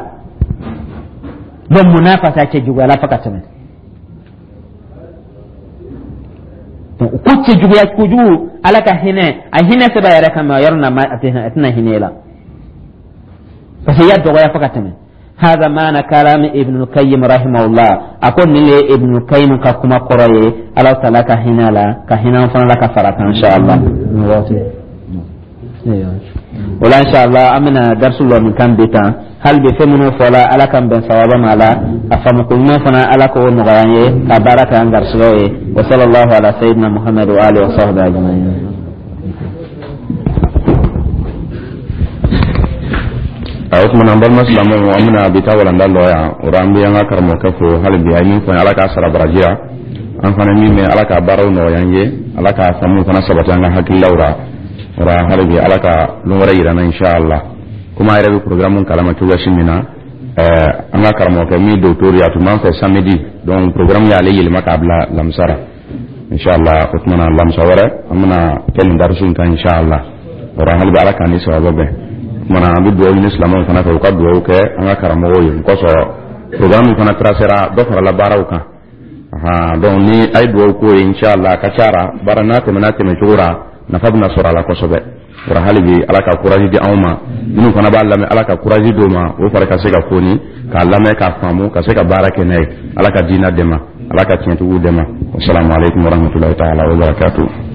Donc mun n'a parce que a cɛjuguyala fo ka tɛmɛ. Donc ko cɛjuguya kojugu, Ala ka hinɛ, a hinɛ sɛbɛn a yɛrɛ kan, mais o yɔrɔ nin na, a tɛna hinɛ la, parce que i y'a dɔgɔya fo ka tɛmɛ. Hada maana kalami Ibn Qayyim rahimahullah. A ko nin le ye Ibn Qayyim ka kuma kɔrɔ ye. Ala taala ka hinɛ la, ka hinɛ an fana la, ka fara kan, inshallah. O la, inshallah, an bɛna darisu lɔ nin kan bi tan. Hali bi, fɛn minnu fɔla, Ala k'an bɛn sawaba ma la. A faamuko ɲuman fana, Ala k'o nɔgɔya an ye ka baara kɛ an garisɛgɛw ye. Wa sallallahu ala sayyidina Muhammad wa alihi wa sahbihi ajma'in.
O tuma na, an balima silamɛw, an bɛna bi ta walanda lɔ yan. O rɔ, an bɛ an ka karamɔgɔkɛ fo hali bi. A ye min fɔ an ye, Ala k'a sara baraji la. An fana min mɛn, Ala ka baaraw nɔgɔya an ye, Ala ka faamuw fana sabati an ka hakililaw ra. O ra hali bi, Ala ka lon wɛrɛ yira an na, inshallah. Komi a yɛrɛ bɛ programme kalama cogoya si min na, an ka karamɔgɔkɛ min docteur ye, a tun b'an fɛ samedi, donc programme y'ale yɛlɛma k'a bila lamisa ra, inshallah. O tuma na, lamisa wɛrɛ an bɛna kɛ nin darisu in kan, inshallah. O ra hali bi, Ala k'an ni sababa bɛn. O tuma na, an bɛ dugawu ɲini silamɛw fana fɛ, u ka dugawu kɛ an ka karamɔgɔw ye. O kosɔn programme fana tracera, dɔ farala baaraw kan. Ahan, donc ni a ye dugawu k'o ye, inshallah, a ka ca ra baara n'a tɛmɛna tɛmɛ cogo ra, nafa bɛna sɔrɔ a la kosɛbɛ. O ra hali bi, Ala ka courage di anw ma. Minnu fana b'a lamɛn, Ala ka courage d'o ma, o fari ka se ka foni k'a lamɛn, k'a faamu, ka se ka baara kɛ n'a ye. Ala ka diinɛ dɛmɛ, Ala ka tiɲɛtigiw dɛmɛ. Wasalamu aleykum warahmatulahi taala wabarakatuh.